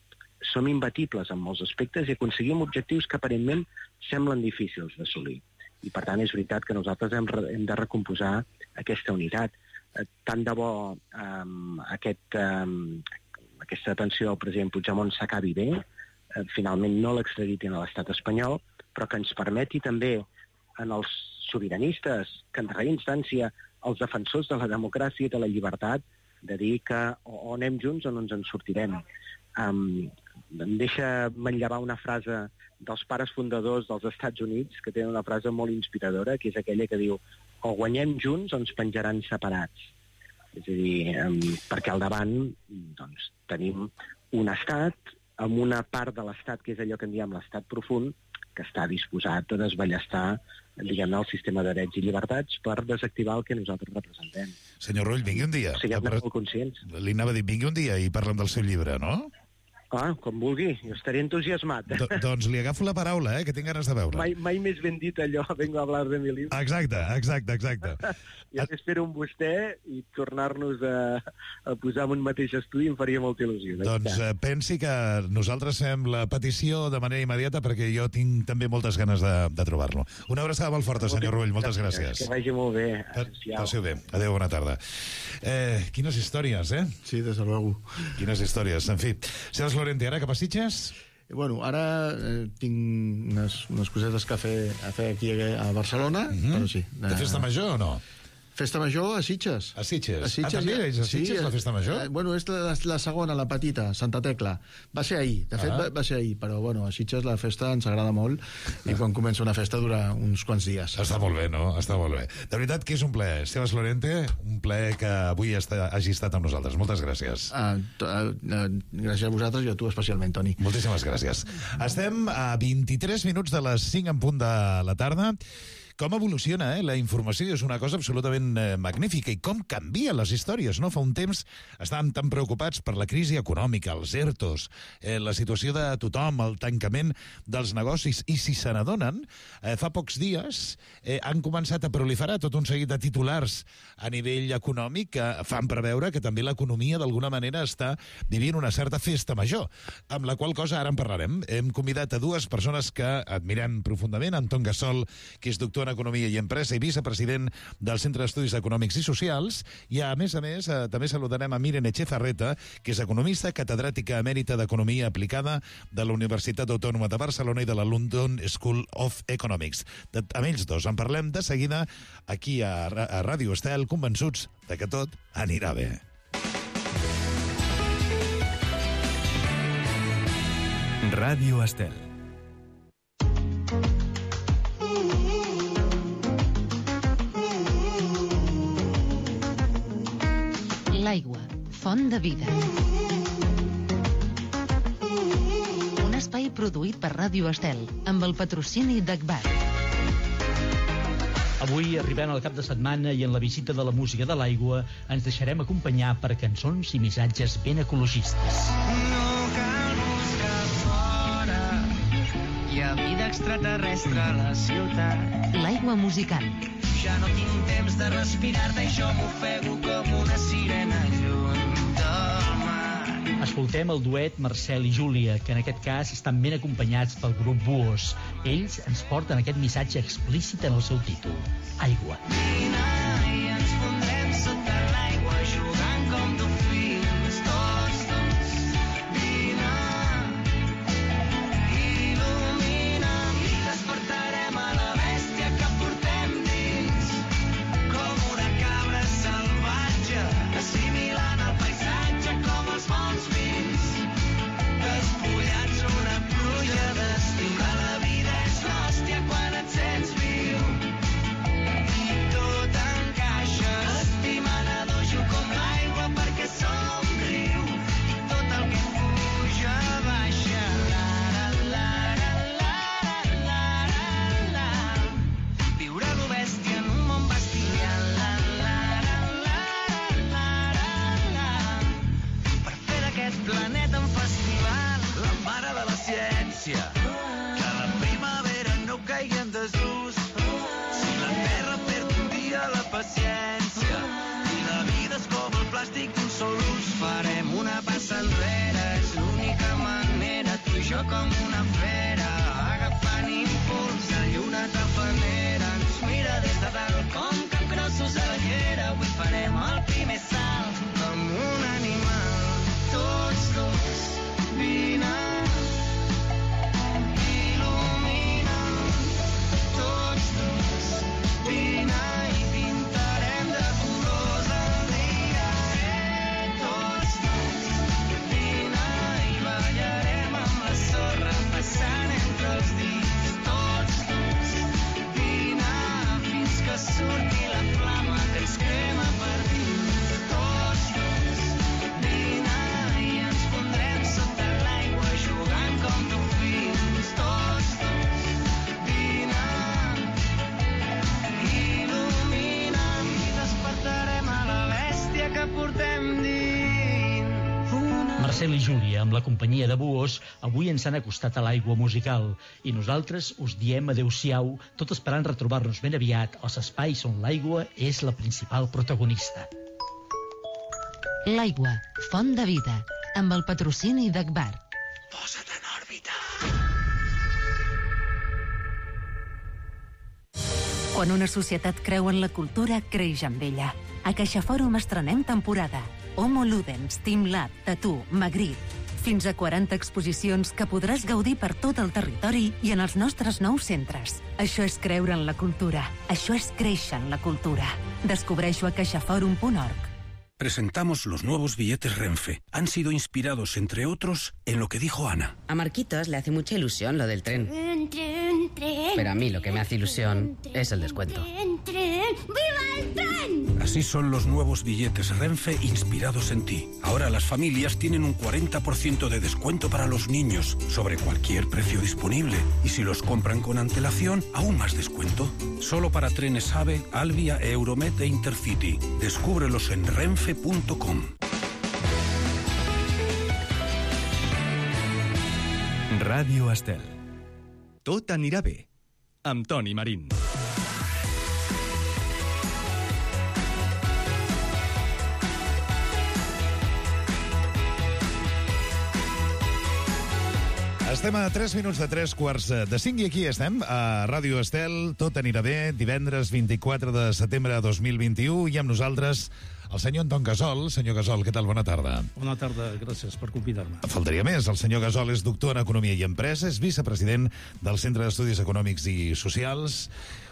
som imbatibles en molts aspectes i aconseguim objectius que aparentment semblen difícils d'assolir. I per tant és veritat que nosaltres hem de recomposar aquesta unitat. Tant de bo aquesta detenció del president Puigdemont s'acabi bé, finalment no l'extraditin a l'estat espanyol, però que ens permeti també en els sobiranistes, que en darrera instància els defensors de la democràcia i de la llibertat, de dir que o anem junts o no ens en sortirem. Em deixa manllevar una frase dels pares fundadors dels Estats Units, que tenen una frase molt inspiradora, que és aquella que diu: o guanyem junts o ens penjaran separats. És a dir, perquè al davant doncs, tenim un estat amb una part de l'estat, que és allò que en diem l'estat profund, que està disposat a desballestar, diguem-ne, el sistema de drets i llibertats per desactivar el que nosaltres representem. Senyor Rull, vingui un dia. Siguem molt conscients. Li anava a dir, vingui un dia i parlem del seu llibre, no? Com vulgui, jo estaré entusiasmat. Doncs li agafo la paraula, que tinc ganes de veure. Mai més ben dit allò, vengo a hablar de mi libro. Exacte. Ja t'espero amb vostè i tornar-nos a posar en un mateix estudi em faria molta il·lusió. Doncs pensi que nosaltres fem la petició de manera immediata perquè jo tinc també moltes ganes de trobar-lo. Una abraçada molt forta, senyor Rull, moltes gràcies. Que vagi molt bé. Passeu bé. Adéu, bona tarda. Quines històries, Sí, des de luego. Quines històries, en fi. Sebas Lorente, ara cap a Sitges? Bueno, ara tinc unes cosetes que a fer aquí a Barcelona, però sí. De festa major o no? Festa major a Sitges. A Sitges? També és a Sitges, la festa major? Bueno, és la segona, la petita, Santa Tecla. Va ser ahir, de fet va ser ahir, però bueno, a Sitges la festa ens agrada molt i quan comença una festa dura uns quants dies. Està molt bé, no? Està molt bé. De veritat que és un plaer. Sebas Lorente, un plaer que avui hagi estat amb nosaltres. Moltes gràcies. Gràcies a vosaltres i a tu especialment, Toni. Moltíssimes gràcies. Estem a 23 minuts de les 5 en punt de la tarda. Com evoluciona, la informació és una cosa absolutament magnífica, i com canvien les històries, no? Fa un temps estàvem tan preocupats per la crisi econòmica, els ERTOs, la situació de tothom, el tancament dels negocis, i si se n'adonen, fa pocs dies han començat a proliferar tot un seguit de titulars a nivell econòmic que fan preveure que també l'economia d'alguna manera està vivint una certa festa major, amb la qual cosa ara en parlarem. Hem convidat a dues persones que admirem profundament, Anton Gassol, que és doctor en Economia i Empresa i vicepresident del Centre d'Estudis Econòmics i Socials, i a més, també saludarem a Miren Echezarreta, que és economista, catedràtica emèrita d'Economia Aplicada de la Universitat Autònoma de Barcelona i de la London School of Economics. Amb ells dos en parlem de seguida aquí a Ràdio Estel, convençuts de que tot anirà bé. Ràdio Estel. L'aigua, font de vida. Un espai produït per Ràdio Estel, amb el patrocini d'Agbar. Avui arribem al cap de setmana i en la visita de la música de l'aigua ens deixarem acompanyar per cançons i missatges ben ecologistes. No cal buscar fora, hi ha vida extraterrestre a la ciutat. L'aigua musical. Ja no tinc temps de respirar-te i jo m'ofego com una sirena lluny del mar. Escoltem el duet Marcel i Júlia, que en aquest cas estan ben acompanyats pel grup Buos. Ells ens porten aquest missatge explícit en el seu títol: Aigua. Vine i ens fondrem sota l'aigua jugant com dofins, tots. Vine, il·lumina'm i despertarem a la bèstia que portem dins, com una cabra salvatge, assimilant el paisatge com els bons vins. plàstic d'un sol ús. Farem una passa enrere, és l'única manera, tu i jo com una fera, agafant impuls, la lluna tafanera ens mira des de dalt com capgrossos a la llera. Avui farem el primer salt amb un animal, tots dos, vine, il·lumina, tots dos, vine i pintarem de colors el dia, tots dos, vine i ballarem amb la sorra passant entre els dits, tots dos, vine fins que surti la flama que ens crema per dins, tots dos, vine i ens pondrem sota l'aigua jugant com dofins, tots dos, vine, il·lumina i despertarem a la bèstia que portem dins. Marcel i Júlia, amb la companyia de Buhos, avui ens han acostat a l'aigua musical i nosaltres us diem adeu-siau, tot esperant retrobar-nos ben aviat als espais on l'aigua és la principal protagonista. L'aigua, font de vida, amb el patrocini d'Agbar. Posa't en òrbita. Quan una societat creu en la cultura, creix amb ella. A CaixaFòrum estrenem temporada. Homo Ludens, Team Lab, Tattoo, Magritte. Fins a 40 exposicions que podràs gaudir per tot el territori i en els nostres nous centres. Això és creure en la cultura. Això és créixer en la cultura. Descobreix-ho a caixaforum.org. Presentamos los nuevos billetes Renfe. Han sido inspirados, entre otros, en lo que dijo Ana. A Marquitos le hace mucha ilusión lo del tren. Tren. Pero a mí lo que me hace ilusión es el descuento. ¡Viva el tren! Así son los nuevos billetes Renfe inspirados en ti. Ahora las familias tienen un 40% de descuento para los niños sobre cualquier precio disponible. Y si los compran con antelación, aún más descuento. Solo para trenes AVE, Alvia, Euromed e Intercity. Descúbrelos en renfe.com. Ràdio Estel. Tot anirà bé. Amb Toni Marín. Estem a 3 minuts de 3:45 i aquí estem, a Ràdio Estel. Tot anirà bé, divendres 24 de setembre de 2021, i amb nosaltres el senyor Anton Gasol. Senyor Gasol, què tal? Bona tarda. Bona tarda, gràcies per convidar-me. Faltaria més. El senyor Gasol és doctor en Economia i Empresa, és vicepresident del Centre d'Estudis Econòmics i Socials,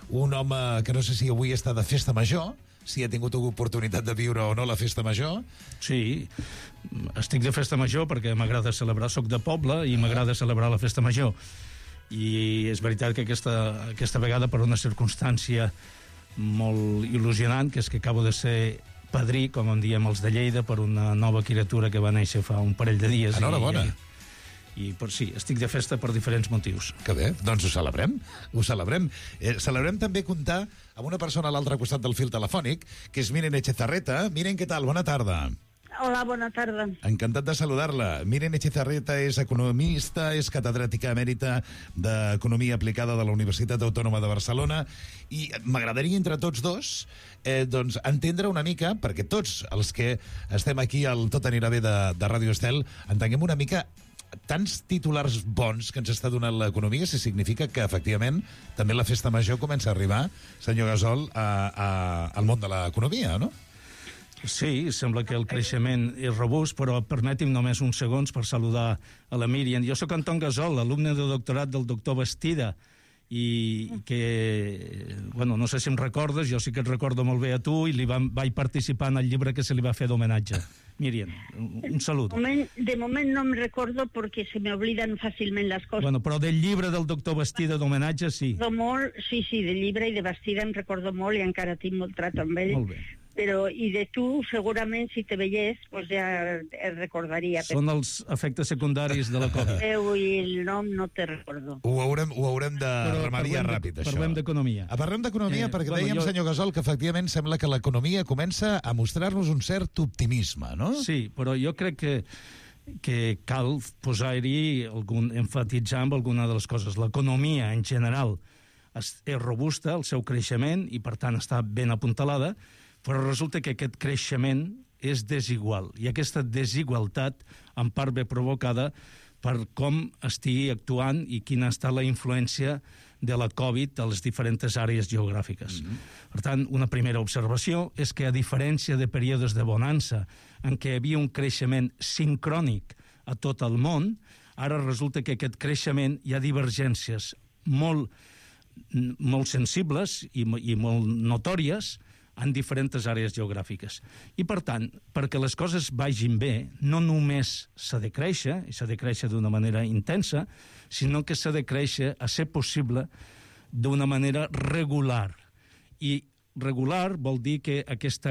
un home que no sé si avui està de festa major, si ha tingut oportunitat de viure o no la festa major. Sí, estic de festa major perquè m'agrada celebrar, soc de poble i m'agrada celebrar la festa major. I és veritat que aquesta vegada, per una circumstància molt il·lusionant, que és que acabo de ser padrí, com en diem els de Lleida, per una nova criatura que va néixer fa un parell de dies. Enhorabona. I per sí, estic de festa per diferents motius. Que bé, doncs ho celebrem, ho celebrem. Celebrem també comptar amb una persona a l'altre costat del fil telefònic, que és Miren Echezarreta. Miren, què tal? Bona tarda. Hola, bona tarda. Encantat de saludar-la. Miren Echezarreta és economista, és catedràtica emèrita d'Economia Aplicada de la Universitat Autònoma de Barcelona, i m'agradaria entre tots dos doncs entendre una mica, perquè tots els que estem aquí al Tot anirà bé de Ràdio Estel entenguem una mica tants titulars bons que ens està donant l'economia, si significa que, efectivament, també la festa major comença a arribar, senyor Gasol, al món de l'economia, no? Sí, sembla que el creixement és robust, però permeti'm només uns segons per saludar a la Míriam. Jo sóc Anton Gasol, alumne de doctorat del doctor Bastida, i que, bueno, no sé si em recordes, jo sí que et recordo molt bé a tu, i vaig participar en el llibre que se li va fer d'homenatge. Míriam, un saludo. De moment no me recordo porque se me olvidan fácilment les coses. Bueno, però del llibre del doctor Bastida d'homenatge, sí. Sí, del llibre i de Bastida em recordo molt i encara tinc molt trat amb ell. Molt bé. Però, i de tu, segurament, si te veiés, pues ja et recordaria. Són els efectes secundaris de la Covid. I el nom no te recordo. Ho haurem de remediar ràpid, això. Parlem d'economia. Parlem d'economia perquè dèiem, senyor Gasol, que efectivament sembla que l'economia comença a mostrar-nos un cert optimisme, no? Sí, però jo crec que cal posar-hi enfatitzar amb alguna de les coses. L'economia, en general, és robusta, el seu creixement, i per tant està ben apuntalada, però resulta que aquest creixement és desigual, i aquesta desigualtat en part ve provocada per com estigui actuant i quina està la influència de la Covid a les diferents àrees geogràfiques. Per tant, una primera observació és que, a diferència de períodes de bonança en què hi havia un creixement sincrònic a tot el món, ara resulta que aquest creixement hi ha divergències molt sensibles i molt notòries en diferents àrees geogràfiques. I, per tant, perquè les coses vagin bé, no només s'ha de créixer, i s'ha de créixer d'una manera intensa, sinó que s'ha de créixer, a ser possible, d'una manera regular. I regular vol dir que aquest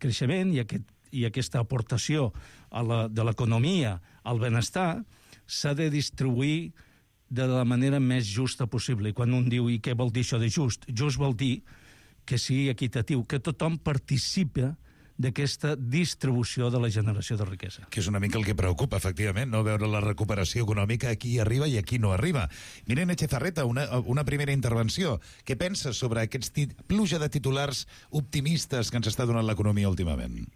creixement i aquesta aportació de l'economia al benestar s'ha de distribuir de la manera més justa possible. I quan un diu, i què vol dir això de just? Just vol dir que sigui equitatiu, que tothom participa d'aquesta distribució de la generació de riquesa. Que és una mica el que preocupa, efectivament, no veure la recuperació econòmica a qui arriba i a qui no arriba. Miren Echezarreta, una primera intervenció. Què penses sobre aquesta pluja de titulars optimistes que ens està donant l'economia últimament?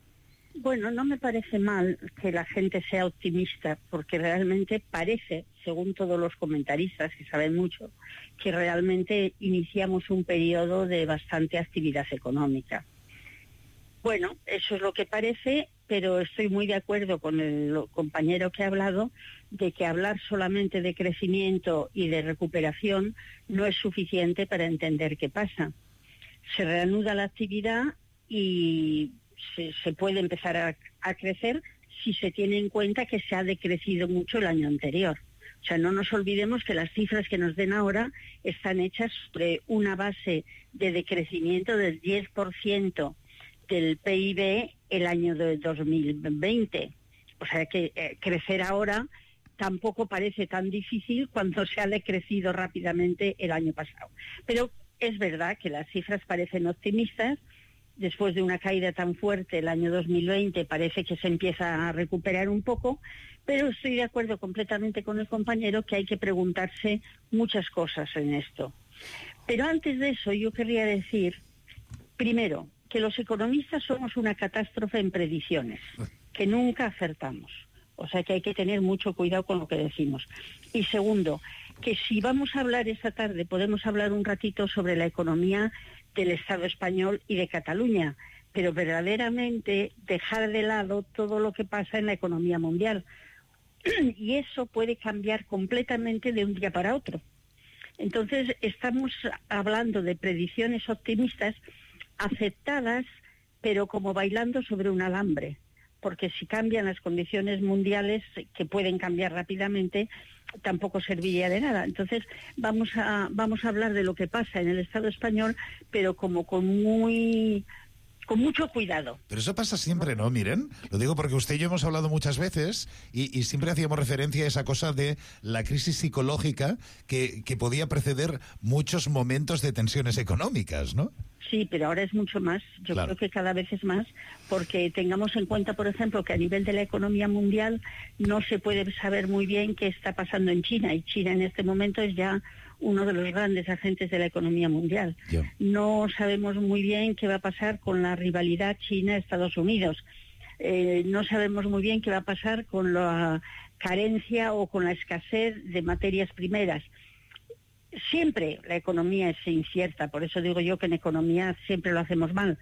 Bueno, no me parece mal que la gente sea optimista, porque realmente parece, según todos los comentaristas que saben mucho, que realmente iniciamos un periodo de bastante actividad económica. Bueno, eso es lo que parece, pero estoy muy de acuerdo con el compañero que ha hablado de que hablar solamente de crecimiento y de recuperación no es suficiente para entender qué pasa. Se reanuda la actividad y se puede empezar a crecer si se tiene en cuenta que se ha decrecido mucho el año anterior. O sea, no nos olvidemos que las cifras que nos den ahora están hechas sobre una base de decrecimiento del 10% del PIB el año de 2020. O sea que crecer ahora tampoco parece tan difícil cuando se ha decrecido rápidamente el año pasado. Pero es verdad que las cifras parecen optimistas. Después de una caída tan fuerte el año 2020 parece que se empieza a recuperar un poco, pero estoy de acuerdo completamente con el compañero que hay que preguntarse muchas cosas en esto. Pero antes de eso yo querría decir, primero, que los economistas somos una catástrofe en predicciones, que nunca acertamos. O sea que hay que tener mucho cuidado con lo que decimos. Y segundo, que si vamos a hablar esta tarde, podemos hablar un ratito sobre la economía del Estado español y de Cataluña, pero verdaderamente dejar de lado todo lo que pasa en la economía mundial. Y eso puede cambiar completamente de un día para otro. Entonces, estamos hablando de predicciones optimistas aceptadas, pero como bailando sobre un alambre, porque si cambian las condiciones mundiales, que pueden cambiar rápidamente, tampoco serviría de nada. Entonces vamos a hablar de lo que pasa en el Estado español, pero como con mucho cuidado. Pero eso pasa siempre, ¿no? Miren, lo digo porque usted y yo hemos hablado muchas veces y siempre hacíamos referencia a esa cosa de la crisis psicológica que podía preceder muchos momentos de tensiones económicas, ¿no? Sí, pero ahora es mucho más. Yo creo que cada vez es más, porque tengamos en cuenta, por ejemplo, que a nivel de la economía mundial no se puede saber muy bien qué está pasando en China, y China en este momento es ya uno de los grandes agentes de la economía mundial. No sabemos muy bien qué va a pasar con la rivalidad China-Estados Unidos. No sabemos muy bien qué va a pasar con la carencia o con la escasez de materias primeras. Siempre la economía es incierta, por eso digo yo que en economía siempre lo hacemos mal,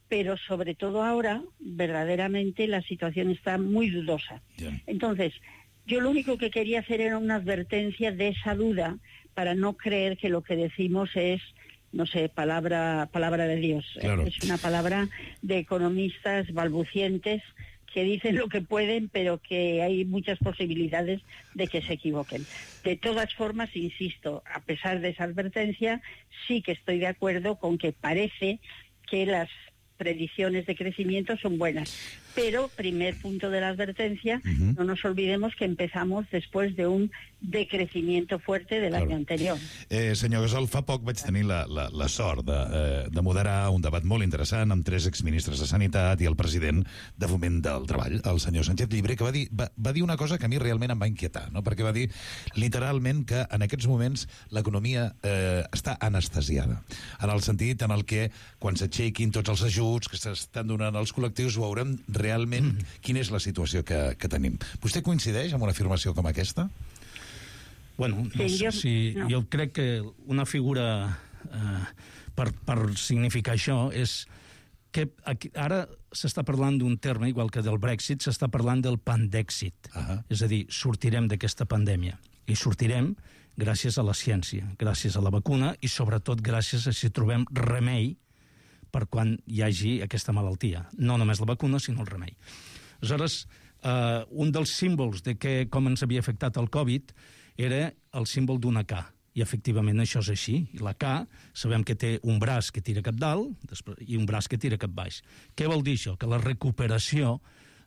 pero sobre todo ahora verdaderamente la situación está muy dudosa. Entonces, yo lo único que quería hacer era una advertencia de esa duda, para no creer que lo que decimos es, no sé, palabra de Dios. Claro. Es una palabra de economistas balbucientes que dicen lo que pueden, pero que hay muchas posibilidades de que se equivoquen. De todas formas, insisto, a pesar de esa advertencia, sí que estoy de acuerdo con que parece que las predicciones de crecimiento son buenas. Pero, primer punto de la advertencia, no nos olvidemos que empezamos después de un decrecimiento fuerte del año anterior. Senyor Gasol, fa poc vaig tenir la sort de moderar un debat molt interessant amb 3 exministres de Sanitat i el president de Foment del Treball, el senyor Sánchez Llibre, que va dir una cosa que a mi realment em va inquietar, no? Perquè va dir literalment que en aquests moments l'economia està anestesiada, en el sentit en el que quan s'aixequin tots els ajuts que s'estan donant als col·lectius ho haurem realment realment quina és la situació que tenim. Vostè coincideix amb una afirmació com aquesta? Bueno, jo crec que una figura per significar això és que ara s'està parlant d'un terme, igual que del Brexit, s'està parlant del pandèxit. És a dir, sortirem d'aquesta pandèmia. I sortirem gràcies a la ciència, gràcies a la vacuna i sobretot gràcies a si trobem remei per quan hi hagi aquesta malaltia. No només la vacuna, sinó el remei. Aleshores, un dels símbols de com ens havia afectat el Covid era el símbol d'una K. I efectivament això és així. I la K sabem que té un braç que tira cap dalt i un braç que tira cap baix. Què vol dir això? Que la recuperació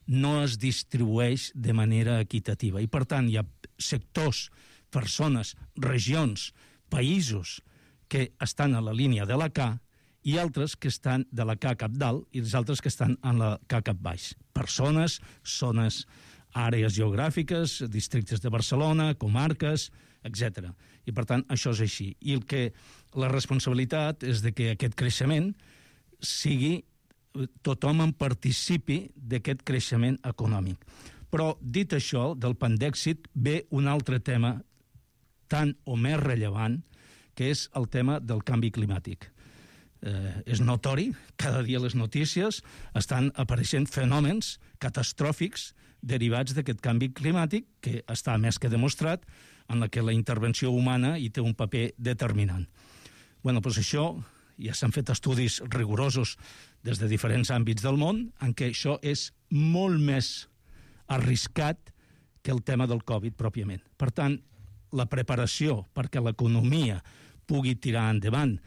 no es distribueix de manera equitativa. I per tant hi ha sectors, persones, regions, països que estan a la línia de la K i altres que estan de la K cap dalt i els altres que estan en la K cap baix. Persones, zones, àrees geogràfiques, districtes de Barcelona, comarques, etc. I, per tant, això és així. I la responsabilitat és de que aquest creixement sigui tothom en participi d'aquest creixement econòmic. Però, dit això, del pandèxit ve un altre tema tan o més rellevant, que és el tema del canvi climàtic. És notori, cada dia les notícies estan apareixent fenòmens catastròfics derivats d'aquest canvi climàtic que està més que demostrat en la que la intervenció humana hi té un paper determinant. Bueno, doncs això, ja s'han fet estudis rigorosos des de diferents àmbits del món en què això és molt més arriscat que el tema del Covid pròpiament. Per tant, la preparació perquè l'economia pugui tirar endavant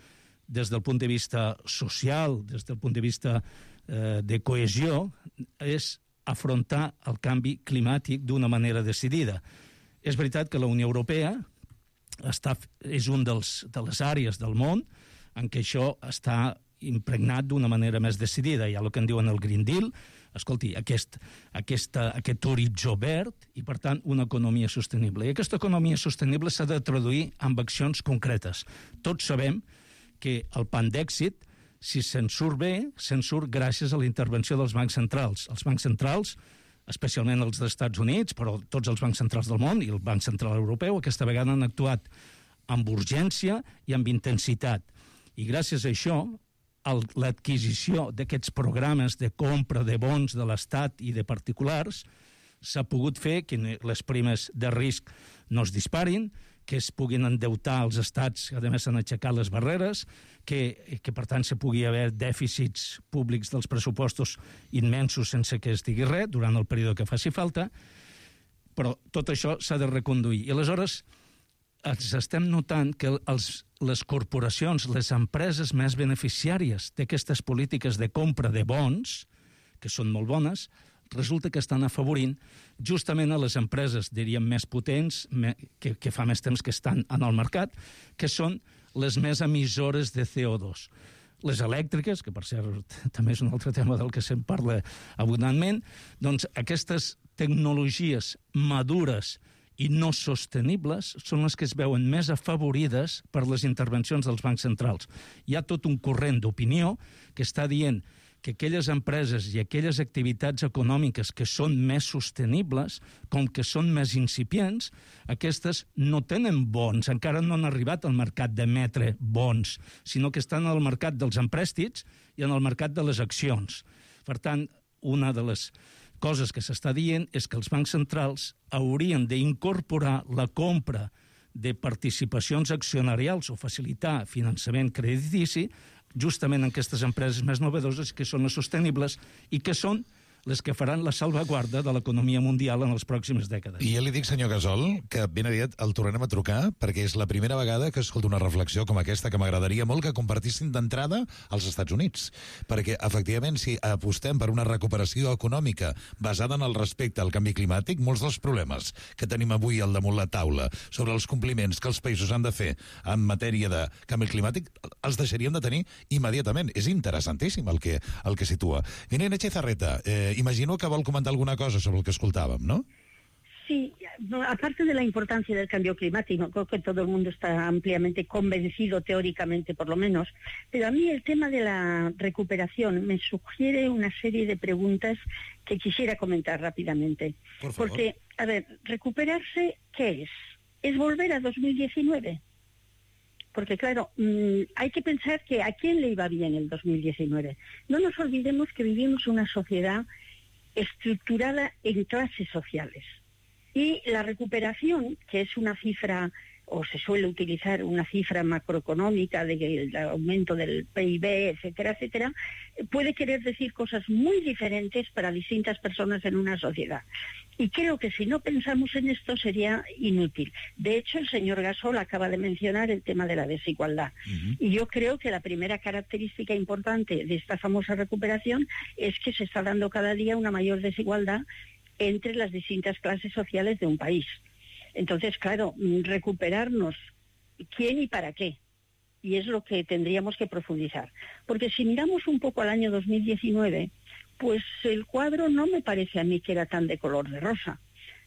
des del punt de vista social, des del punt de vista de cohesió, és afrontar el canvi climàtic d'una manera decidida. És veritat que la Unió Europea és un de les àrees del món en què això està impregnat d'una manera més decidida. Hi ha el que en diuen el Green Deal, escolti, aquest horitzó verd i, per tant, una economia sostenible. I aquesta economia sostenible s'ha de traduir en accions concretes. Tots sabem que el pandèxit, si se'n surt bé, se'n surt gràcies a la intervenció dels bancs centrals. Els bancs centrals, especialment els dels Estats Units, però tots els bancs centrals del món i el Banc Central Europeu, aquesta vegada han actuat amb urgència i amb intensitat. I gràcies a això, l'adquisició d'aquests programes de compra de bons de l'Estat i de particulars s'ha pogut fer que les primes de risc no es disparin, que es puguin endeutar els estats, que a més s'han aixecat les barreres, que per tant se pugui haver dèficits públics dels pressupostos immensos sense que es digui res durant el període que faci falta, però tot això s'ha de reconduir. I aleshores ens estem notant que les corporacions, les empreses més beneficiàries d'aquestes polítiques de compra de bons, que són molt bones, resulta que estan afavorint justament a les empreses, diríem, més potents, que fa més temps que estan en el mercat, que són les més emissores de CO2. Les elèctriques, que per cert també és un altre tema del que se'n parla abundantment, doncs aquestes tecnologies madures i no sostenibles són les que es veuen més afavorides per les intervencions dels bancs centrals. Hi ha tot un corrent d'opinió que està dient que aquelles empreses i aquelles activitats econòmiques que són més sostenibles, com que són més incipients, aquestes no tenen bons, encara no han arribat al mercat d'emetre bons, sinó que estan al mercat dels emprèstits i en el mercat de les accions. Per tant, una de les coses que s'està dient és que els bancs centrals haurien d'incorporar la compra de participacions accionarials o facilitar finançament creditici justament en aquestes empreses més novedoses que són les sostenibles i que són les que faran la salvaguarda de l'economia mundial en les pròximes dècades. I ja li dic, senyor Gasol, que ben aviat el tornarem a trucar, perquè és la primera vegada que escolto una reflexió com aquesta, que m'agradaria molt que compartissin d'entrada als Estats Units. Perquè, efectivament, si apostem per una recuperació econòmica basada en el respecte al canvi climàtic, molts dels problemes que tenim avui al damunt la taula sobre els compliments que els països han de fer en matèria de canvi climàtic, els deixaríem de tenir immediatament. És interessantíssim el que situa. Irene Echezarreta, imagino que vol comentar alguna cosa sobre el que escoltàvem, no? Sí, aparte de la importancia del cambio climático, creo que todo el mundo está ampliamente convencido, teóricamente por lo menos, pero a mí el tema de la recuperación me sugiere una serie de preguntas que quisiera comentar rápidamente. Por favor. Porque, a ver, recuperarse, ¿qué es? ¿Es volver a 2019? Porque, claro, hay que pensar que a quién le iba bien el 2019. No nos olvidemos que vivimos una sociedad estructurada en clases sociales. Y la recuperación, que es una cifra, o se suele utilizar una cifra macroeconómica del aumento del PIB, etcétera, etcétera, puede querer decir cosas muy diferentes para distintas personas en una sociedad. Y creo que si no pensamos en esto sería inútil. De hecho, el señor Gasol acaba de mencionar el tema de la desigualdad. Y yo creo que la primera característica importante de esta famosa recuperación es que se está dando cada día una mayor desigualdad entre las distintas clases sociales de un país. Entonces, claro, recuperarnos, ¿quién y para qué? Y es lo que tendríamos que profundizar. Porque si miramos un poco al año 2019, pues el cuadro no me parece a mí que era tan de color de rosa.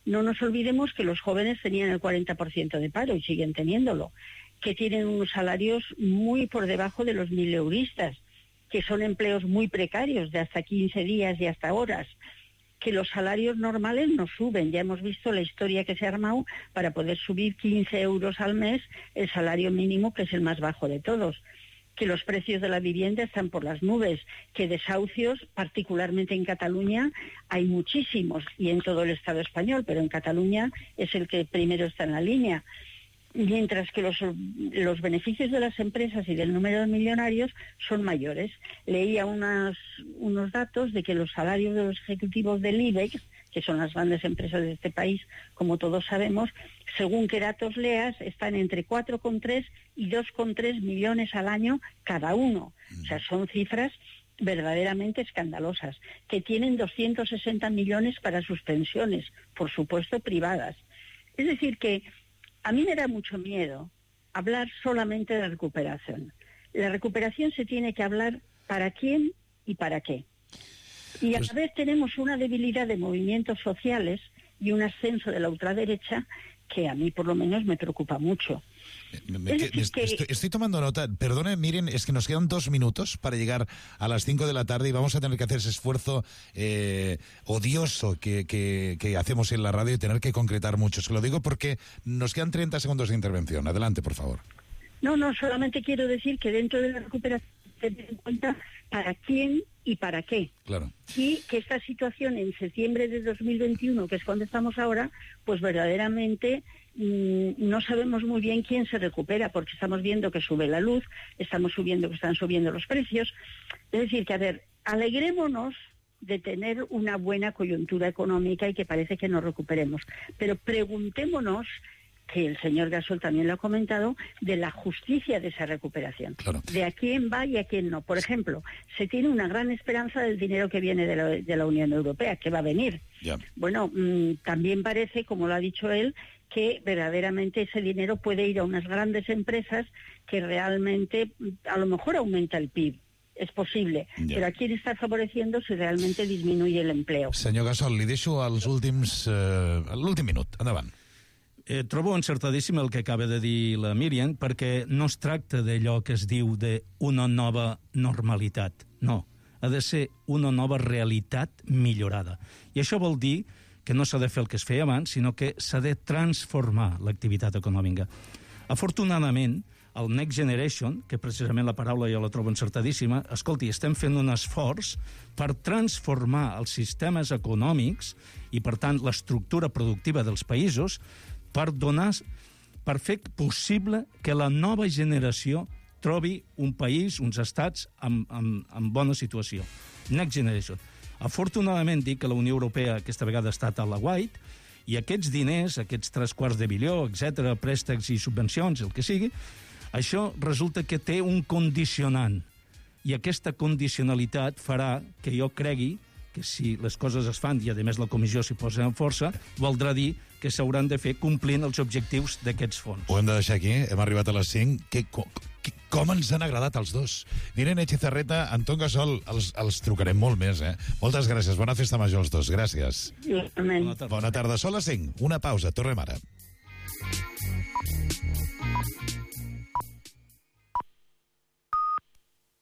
No nos olvidemos que los jóvenes tenían el 40% de paro y siguen teniéndolo, que tienen unos salarios muy por debajo de los 1000euristas, que son empleos muy precarios de hasta 15 días y hasta horas, que los salarios normales no suben. Ya hemos visto la historia que se ha armado para poder subir 15 euros al mes el salario mínimo, que es el más bajo de todos, que los precios de la vivienda están por las nubes, que desahucios, particularmente en Cataluña, hay muchísimos, y en todo el Estado español, pero en Cataluña es el que primero está en la línea. Mientras que los beneficios de las empresas y del número de millonarios son mayores. Leía unos datos de que los salarios de los ejecutivos del IBEX, que son las grandes empresas de este país, como todos sabemos, según qué datos leas, están entre 4,3 y 2,3 millones al año cada uno. O sea, son cifras verdaderamente escandalosas, que tienen 260 millones para sus pensiones, por supuesto privadas. Es decir que a mí me da mucho miedo hablar solamente de recuperación. La recuperación se tiene que hablar para quién y para qué. Y a la vez tenemos una debilidad de movimientos sociales y un ascenso de la ultraderecha que a mí por lo menos me preocupa mucho. Estoy tomando nota. Perdone, miren, es que nos quedan 2 minutos para llegar a las 5 de la tarde y vamos a tener que hacer ese esfuerzo odioso que hacemos en la radio y tener que concretar mucho. Se lo digo porque nos quedan 30 segundos de intervención. Adelante, por favor. No, solamente quiero decir que dentro de la recuperación se tiene en cuenta para quién y para qué. Claro. Y que esta situación en septiembre de 2021, que es cuando estamos ahora, pues verdaderamente no sabemos muy bien quién se recupera, porque estamos viendo que sube la luz, estamos viendo que están subiendo los precios. Es decir, que a ver, alegrémonos de tener una buena coyuntura económica y que parece que nos recuperemos, pero preguntémonos, que el señor Gasol también lo ha comentado, de la justicia de esa recuperación. Claro. De a quién va y a quién no. Por ejemplo, se tiene una gran esperanza del dinero que viene de la Unión Europea, que va a venir. Ya. Bueno, también parece, como lo ha dicho él, que verdaderamente ese dinero puede ir a unas grandes empresas que realmente a lo mejor aumenta el PIB. És possible, però a qui està favoreciendo si realmente disminuye el empleo? Senyor Gasol, li deixo l'últim minut. Endavant. Trobo encertadíssim el que acaba de dir la Míriam, perquè no es tracta d'allò que es diu d'una nova normalitat. No, ha de ser una nova realitat millorada. I això vol dir que no s'ha de fer el que es feia abans, sinó que s'ha de transformar l'activitat econòmica. Afortunadament, el Next Generation, que precisament la paraula jo la trobo encertadíssima, escolti, estem fent un esforç per transformar els sistemes econòmics i, per tant, l'estructura productiva dels països per fer possible que la nova generació trobi un país, uns estats en bona situació. Next Generation. Afortunadament dic que la Unió Europea aquesta vegada ha estat a la White i aquests diners, aquests 3/4 de bilió, etc., préstecs i subvencions, el que sigui, això resulta que té un condicionant. I aquesta condicionalitat farà que jo cregui que si les coses es fan i, a més, la comissió s'hi posa en força, voldrà dir que s'hauran de fer complint els objectius d'aquests fons. Ho hem de deixar aquí, hem arribat a les 5. Com ens han agradat els dos. Irene Echezarreta, Anton Gasol, els trucarem molt més, eh? Moltes gràcies, bona festa major als dos, gràcies. Igualment. Bona tarda, Sol a 5, una pausa, tornem ara.